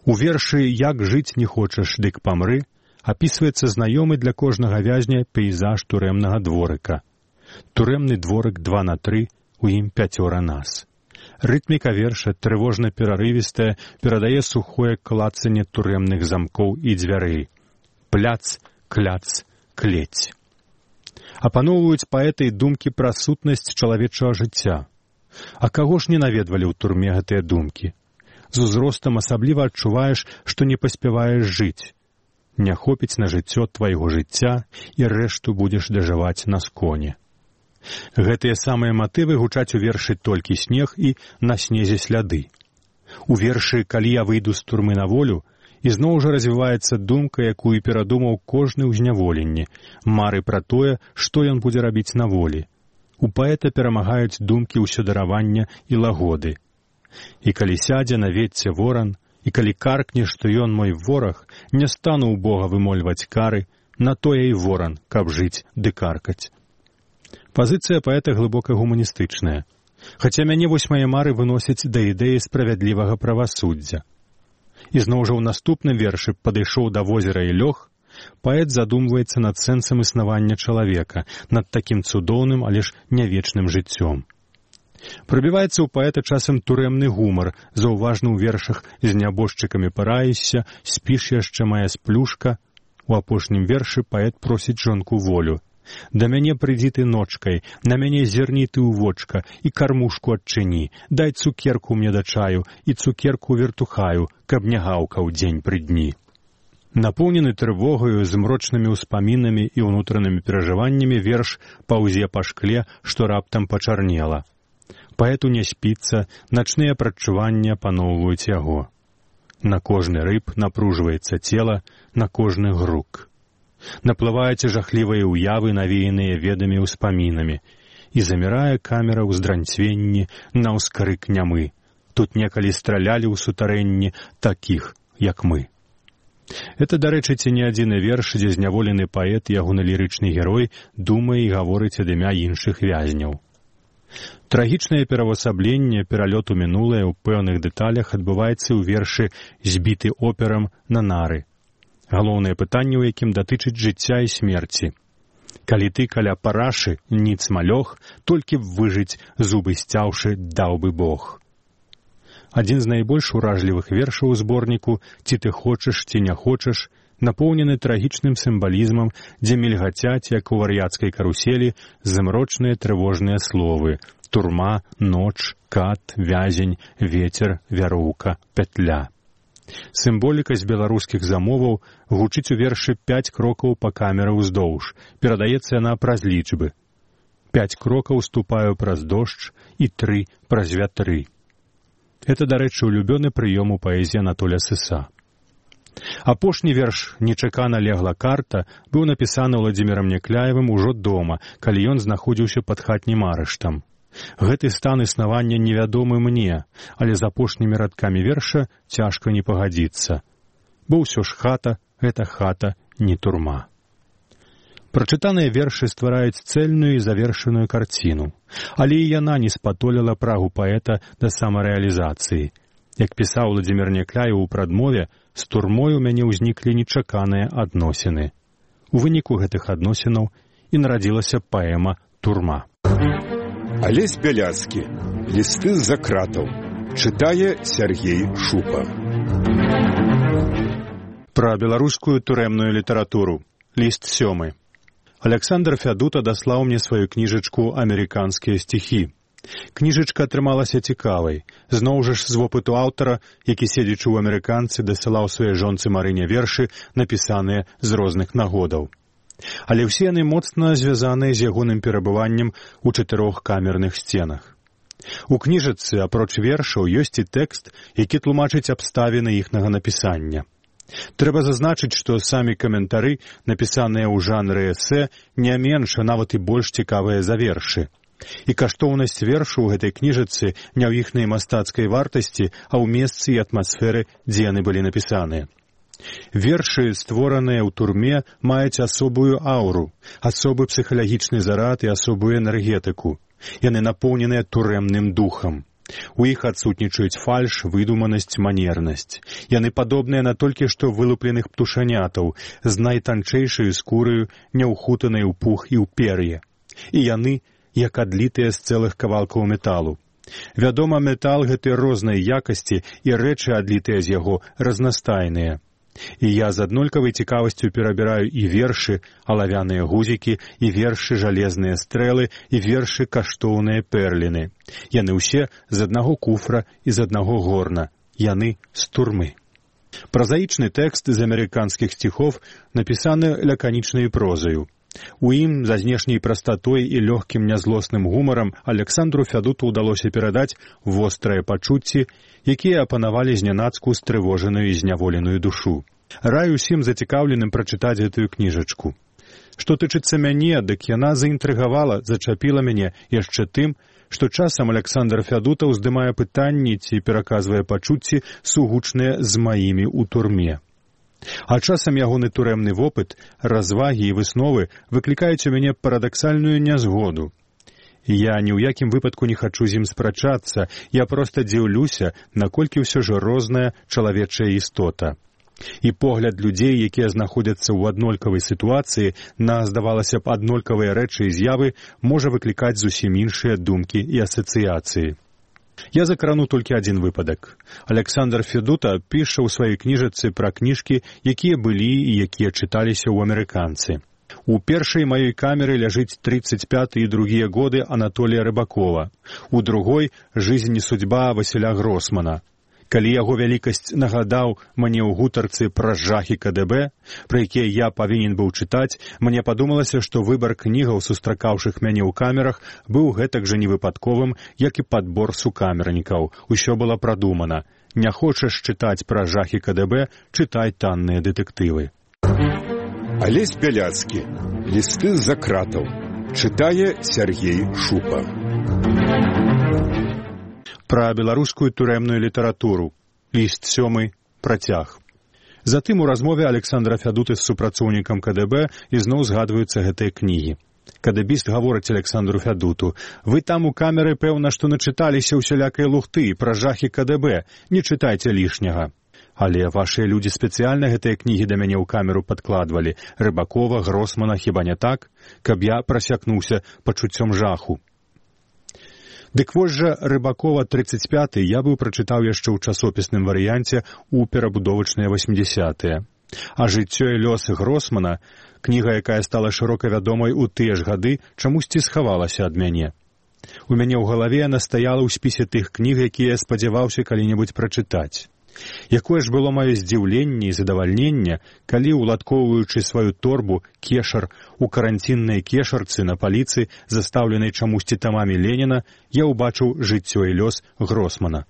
У вершы «Як жыць не хочаш, дык памры» апісваецца знаёмы для кожнага вязня пейзаж турэмнага дворыка. Турэмны дворык 2/3, у ім 5 нас. Рытміка верша, трывожна-перарывістая, перадае сухое клацанне турэмных замкоў і дзвярэй. Пляц, кляц, клець. Апаноўваюць паэты і думкі пра сутнасць чалавечага жыцця. А каго ж не наведвалі ў турме гэтыя думкі? З узростам асабліва адчуваеш, што не паспяваеш жыць. Не хопіць на жыццё твайго жыцця, і рэшту будзеш дажываць на сконе. Гэтыя самыя матывы гучаць у вершы «Толькі снег» і «На снезе сляды». У вершы «Калі я выйду з турмы на волю» ізноў жа развіваецца думка, якую перадумаў кожны ў зняволенні, мары пра тое, што ён будзе рабіць на волі. У паэта перамагаюць думкі ўсёдаравання і лагоды. І калі сядзе на ветце воран, і калі каркне, што ён мой вораг, не стану ў Бога вымольваць кары, на тое і воран, каб жыць ды каркаць. Пазіцыя паэта глыбока гуманістычная. Хаця мяне вось мае мары выносяць да ідэі справядлівага правасуддзя. І зноў жа ў наступным вершы «Падышоў да возера і лёг» паэт задумваецца над сэнсам існавання чалавека, над такім цудоўным, але ж нявечным жыццём. Прабіваецца ў паэта часам турэмны гумар, заўважны ў вершах «З нябожчыкамі параішся», «Спіш яшчэ мая сплюшка». У апошнім вершы паэт просіць жонку волю. «Да мяне прыйдзі ты ночкай, на мяне зерні ты ў вочка, і кармушку адчыні, дай цукерку мне да чаю, і цукерку вертухаю, каб не гаўкаў дзень пры дні». Напоўнены трывогаю, змрочнымі ўспамінамі і ўнутранымі перажываннямі верш паўзе па шкле, што раптам пачарнела. Паэту не спіцца, начныя прадчуванні апаноўваюць яго. На кожны рыб напружваецца цела, на кожны грук. Наплываюць жахлівыя ўявы, навеяныя ведамі ўспамінамі, і замірае камера ў здранцвенні на ўскрык нямы. Тут некалі стралялі ў сутарэнні такіх, як мы. Это, дарэчы, ці не адзіны верш, дзе зняволены паэт, ягоны лірычны герой, думае і гаворыць ад імя іншых вязняў. Трагічнае перавасабленне, пералёт у мінулае ў пэўных дэталях адбываецца ў вершы «Збіты операм на нары». Галоўнае пытанне, у якім датычыць жыцця і смерці. Калі ты каля парашы, ніц малёг, толькі б выжыць, зубы сцяўшы, даў бы Бог. Адзін з найбольш уражлівых вершаў у зборніку «Ці ты хочаш, ці не хочаш» напоўнены трагічным сімвалізмам, дзе мільгацяць, як у вар'яцкай каруселі, змрочныя трывожныя словы «турма», «ноч», «кат», «вязень», «ветер», «вяроўка», «пятля». Сімволіка з беларускіх замоваў гучыць у вершы 5 крокаў па камеры ўздоўж. Перадаецца яна праз лічбы. 5 крокаў ступаю праз дождж і 3 праз вятры. Это, дарэчы, улюбёны прыём у паэзіі Анатолія Сыса. Апошні верш «Нечакана легла карта» быў напісаны Владзімірам Някляевым ужо дома, калі ён знаходзіўся пад хатнім арыштам. Гэты стан існавання невядомы мне, але з апошнімі радкамі верша цяжка не пагадзіцца. Бо ўсё ж хата — гэта хата, не турма. Прачытаныя вершы ствараюць цэльную і завершаную карціну, але і яна не спатоліла прагу паэта да самарэалізацыі. Як пісаў Владзімір Някляеў у прадмове, з турмой у мяне ўзніклі нечаканыя адносіны. У выніку гэтых адносінаў і нарадзілася паэма «Турма». Алесь Бяляцкі. Лісты з-за кратаў. Чытае Сергей Шупа. Пра беларускую турэмную літаратуру. Ліст 7. Аляксандр Фядута даслаў мне сваю кніжачку «Амерыканскія стихі». Кніжачка атрымалася цікавай. Зноў жа ж з вопыту аўтара, які, седзячы ў амерыканцы, дасылаў сваёй жонцы Марыне вершы, напісаныя з розных нагодаў. Але ўсе яны моцна звязаныя з ягоным перабываннем у 4 камерных сценах. У кніжачцы, апроч вершаў, ёсць і тэкст, які тлумачыць абставіны іхнага напісання. Трэба зазначыць, што самі каментары, напісаныя ў жанры эсэ, не менш, а нават і больш цікавыя за вершы. І каштоўнасць вершу ў гэтай кніжачцы не ў іхнай мастацкай вартасці, а ў месцы і атмасферы, дзе яны былі напісаныя. Вершы, створаныя ў турме, маюць асобую ауру, асобы псіхалагічны зарад і асобую энергетыку. Яны напоўненыя турэмным духам. У іх адсутнічаюць фальш, выдуманасць, манернасць. Яны падобныя на толькі што вылупленых птушанятаў, з найтанчэйшаю скураю, няўхутанай у пух і ў пер'е. І яны як адлітыя з цэлых кавалкаў металу. Вядома, метал гэтай рознай якасці і рэчы, адлітыя з яго, разнастайныя. І я з аднолькавай цікавасцю перабіраю і вершы, алавяныя гузікі, і вершы, жалезныя стрэлы, і вершы, каштоўныя перліны. Яны ўсе з аднаго куфра і з аднаго горна. Яны з турмы. Празаічны тэкст з амерыканскіх стихов напісаны лаканічнай прозаю. У ім за знешняй прастатой і лёгкім нязлосным гумарам Аляксандру Фядуту ўдалося перадаць вострыя пачуцці, якія апанавалі знянацку стрывожаную і зняволеную душу. Раю усім зацікаўленым прачытаць гэтую кніжачку. Што тычыцца мяне, дык яна заінтрыгавала, зачапіла мяне яшчэ тым, што часам Аляксандр Фядута ўздымае пытанні ці пераказвае пачуцці, сугучныя з маімі ў турме. А часам ягоны турэмны вопыт, развагі і высновы выклікаюць у мяне парадаксальную нязгоду. Я ні ў якім выпадку не хачу з ім спрачацца, я проста дзіўлюся, наколькі ўсё ж розная чалавечая істота. І погляд людзей, якія знаходзяцца ў аднолькавай сітуацыі, на, здавалася б, аднолькавыя рэчы і з'явы, можа выклікаць зусім іншыя думкі і асацыяцыі. Я закрану толькі адзін выпадак. Аляксандр Фядута піша ў сваёй кніжачцы пра кніжкі, якія былі і якія чыталіся ў амерыканцы. У першай маёй камеры ляжыць 35 і другія годы Анатолія Рыбакова. У другой — «Жизнь и судьба» Васіля Гросмана. Калі яго вялікасць нагадаў мне ў гутарцы пра жахі КДБ, пра якія я павінен быў чытаць, мне падумалася, што выбар кнігаў, сустракаўшых мяне ў камерах, быў гэтак жа невыпадковым, як і падбор сукамернікаў. Усё было прадумана. Не хочаш чытаць пра жахі КДБ, чытай танныя дэтэктывы. Алесь Бяляцкі. Лісты з-за кратаў. Чытае Сергей Шупа. Пра беларускую турэмную літаратуру. Ліст 7. Працяг. Затым у размове Аляксандра Фядуты з супрацоўнікам КДБ ізноў згадваюцца гэтыя кнігі. КДБіст гаворыць Аляксандру Фядуту: «Вы там у камеры, пэўна, што начыталіся ўсялякай лухты пра жахі КДБ, не чытайце лішняга». Але вашыя людзі спецыяльна гэтыя кнігі да мяне ў камеру падкладвалі. Рыбакова, Гросмана, хіба не так? Каб я прасякнуўся пачуццём жаху. Дык вось жа Рыбакова 35 я быў прачытаў яшчэ ў часопісным варыянце ў перабудовачныя 80-е. А «Жыццё і лёсы Гросмана», кніга, якая стала шырока вядомай у тыя ж гады, чамусьці схавалася ад мяне. У мяне ў галаве яна стаяла ў спісе тых кніг, якія я спадзяваўся калі-небудзь прачытаць. Якое ж было маё здзіўленне і задавальненне, калі, уладкоўваючы сваю торбу, кешар, у каранціннай кешарцы на паліцы, застаўленай чамусьці тамамі Леніна, я ўбачыў «Жыццё і лёс» Гросмана.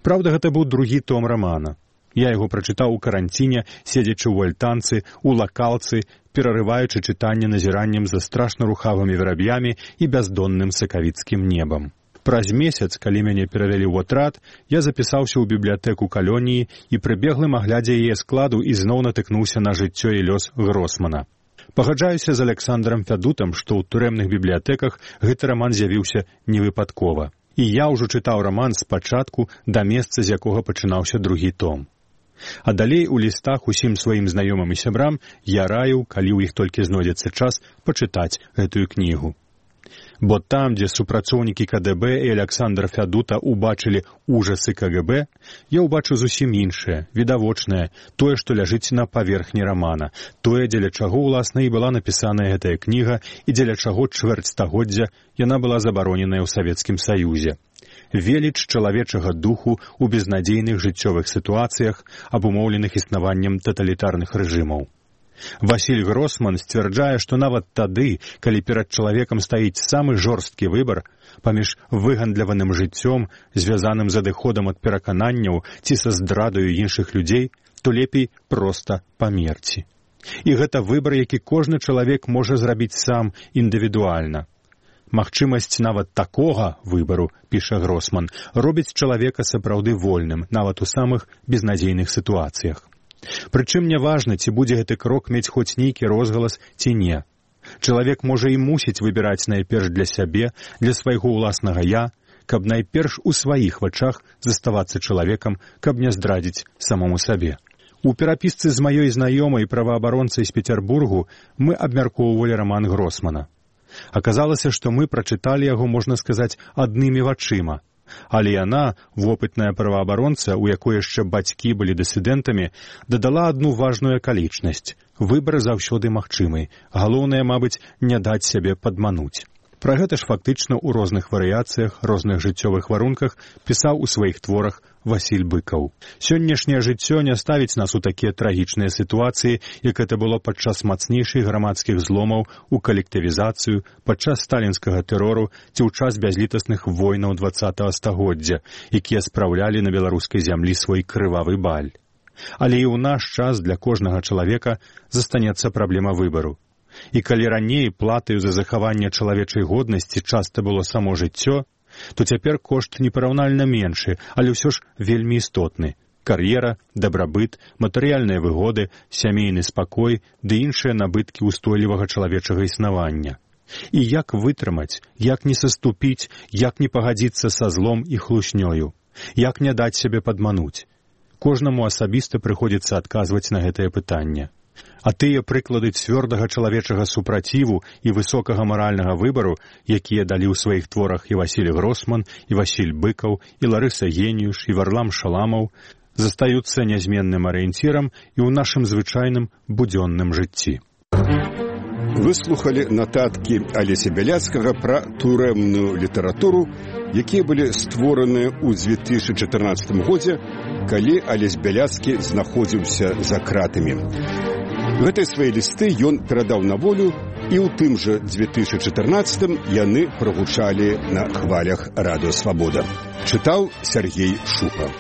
Праўда, гэта быў другі том рамана. Я яго прачытаў у каранціне, седзячы ў альтанцы, у лакалцы, перарываючы чытанне назіраннем за страшна рухавымі вераб'ямі і бяздонным сакавіцкім небам. Праз месяц, калі мяне перавялі ў атрад, я запісаўся ў бібліятэку калоніі і пры беглым аглядзе яе складу ізноў натыкнуўся на «Жыццё і лёс» Гросмана. Пагаджаюся з Александром Фядутам, што ў турэмных бібліятэках гэты раман з'явіўся невыпадкова. І я ўжо чытаў раман спачатку да месца, з якога пачынаўся другі том. А далей у лістах усім сваім знаёмым і сябрам я раіў, калі ў іх толькі знойдзецца час, пачытаць гэтую кнігу. Бо там, дзе супрацоўнікі КДБ і Александр Фядута убачылі ужасы КГБ, я ўбачыў зусім іншае, відавочнае, тое, што ляжыць на паверхні рамана, тое, дзеля чаго, уласна, і была напісаная гэтая кніга, і дзеля чаго чвэрць стагоддзя яна была забароненая ў Савецкім Саюзе. Веліч чалавечага духу ў безнадзейных жыццёвых сітуацыях, абумоўленых існаваннем таталітарных рэжымаў. Васіль Гросман сцвярджае, што нават тады, калі перад чалавекам стаіць самы жорсткі выбар паміж выгандляваным жыццём, звязаным з адыходам ад перакананняў ці са здрадаю іншых людзей, то лепей проста памерці. І гэта выбар, які кожны чалавек можа зрабіць сам індывідуальна. Магчымасць нават такога выбару, піша Гросман, робіць чалавека сапраўды вольным, нават у самых безнадзейных сітуацыях. Прычым няважна, ці будзе гэты крок мець хоць нейкі розгалас ці не. Чалавек можа і мусіць выбіраць найперш для сябе, для свайго ўласнага «я», каб найперш у сваіх вачах заставацца чалавекам, каб не здрадзіць самому сабе. У перапісцы з маёй знаёмай праваабаронцай з Петербургу мы абмяркоўвалі раман Гросмана. Аказалася, што мы прачыталі яго, можна сказаць, аднымі вачыма. Але яна, вопытная праваабаронца, у якой яшчэ бацькі былі дысідэнтамі, дадала адну важную акалічнасць. Выбар заўсёды магчымы. Галоўнае, мабыць, не даць сябе падмануць. Пра гэта ж фактычна ў розных варыяцыях, розных жыццёвых варунках пісаў у сваіх творах Васіль Быкаў. Сённяшняе жыццё не ставіць нас у такія трагічныя сітуацыі, як гэта было падчас мацнейшых грамадскіх зломаў, у калектывізацыю, падчас сталінскага тэрору ці ў час бязлітасных войнаў 20-го стагоддзя, якія спраўлялі на беларускай зямлі свой крывавы баль. Але і ў наш час для кожнага чалавека застанецца праблема выбару. І калі раней платаю за захаванне чалавечай годнасці часта было само жыццё, то цяпер кошт непараўнальна меншы, але ўсё ж вельмі істотны. Кар'ера, дабрабыт, матэрыяльныя выгоды, сямейны спакой ды іншыя набыткі ўстойлівага чалавечага існавання. І як вытрымаць, як не саступіць, як не пагадзіцца са злом і хлуснёю, як не даць сябе падмануць. Кожнаму асабіста прыходзіцца адказваць на гэтае пытанне. А тыя прыклады цвёрдага чалавечага супраціву і высокага маральнага выбару, якія далі ў сваіх творах і Васіль Гросман, і Васіль Быкаў, і Ларыса Геніюш, і Варлам Шаламаў, застаюцца нязменным арыенцірам і ў нашым звычайным будзённым жыцці. Выслухалі нататкі Алеся Бяляцкага пра турэмную літаратуру, якія былі створаныя ў 2014 годзе, калі Алесь Бяляцкі знаходзіўся за кратамі. Гэтыя свае лісты ён перадаў на волю, і ў тым жа 2014 яны прагучалі на хвалях Радыё Свабода. Чытаў Сергей Шупа.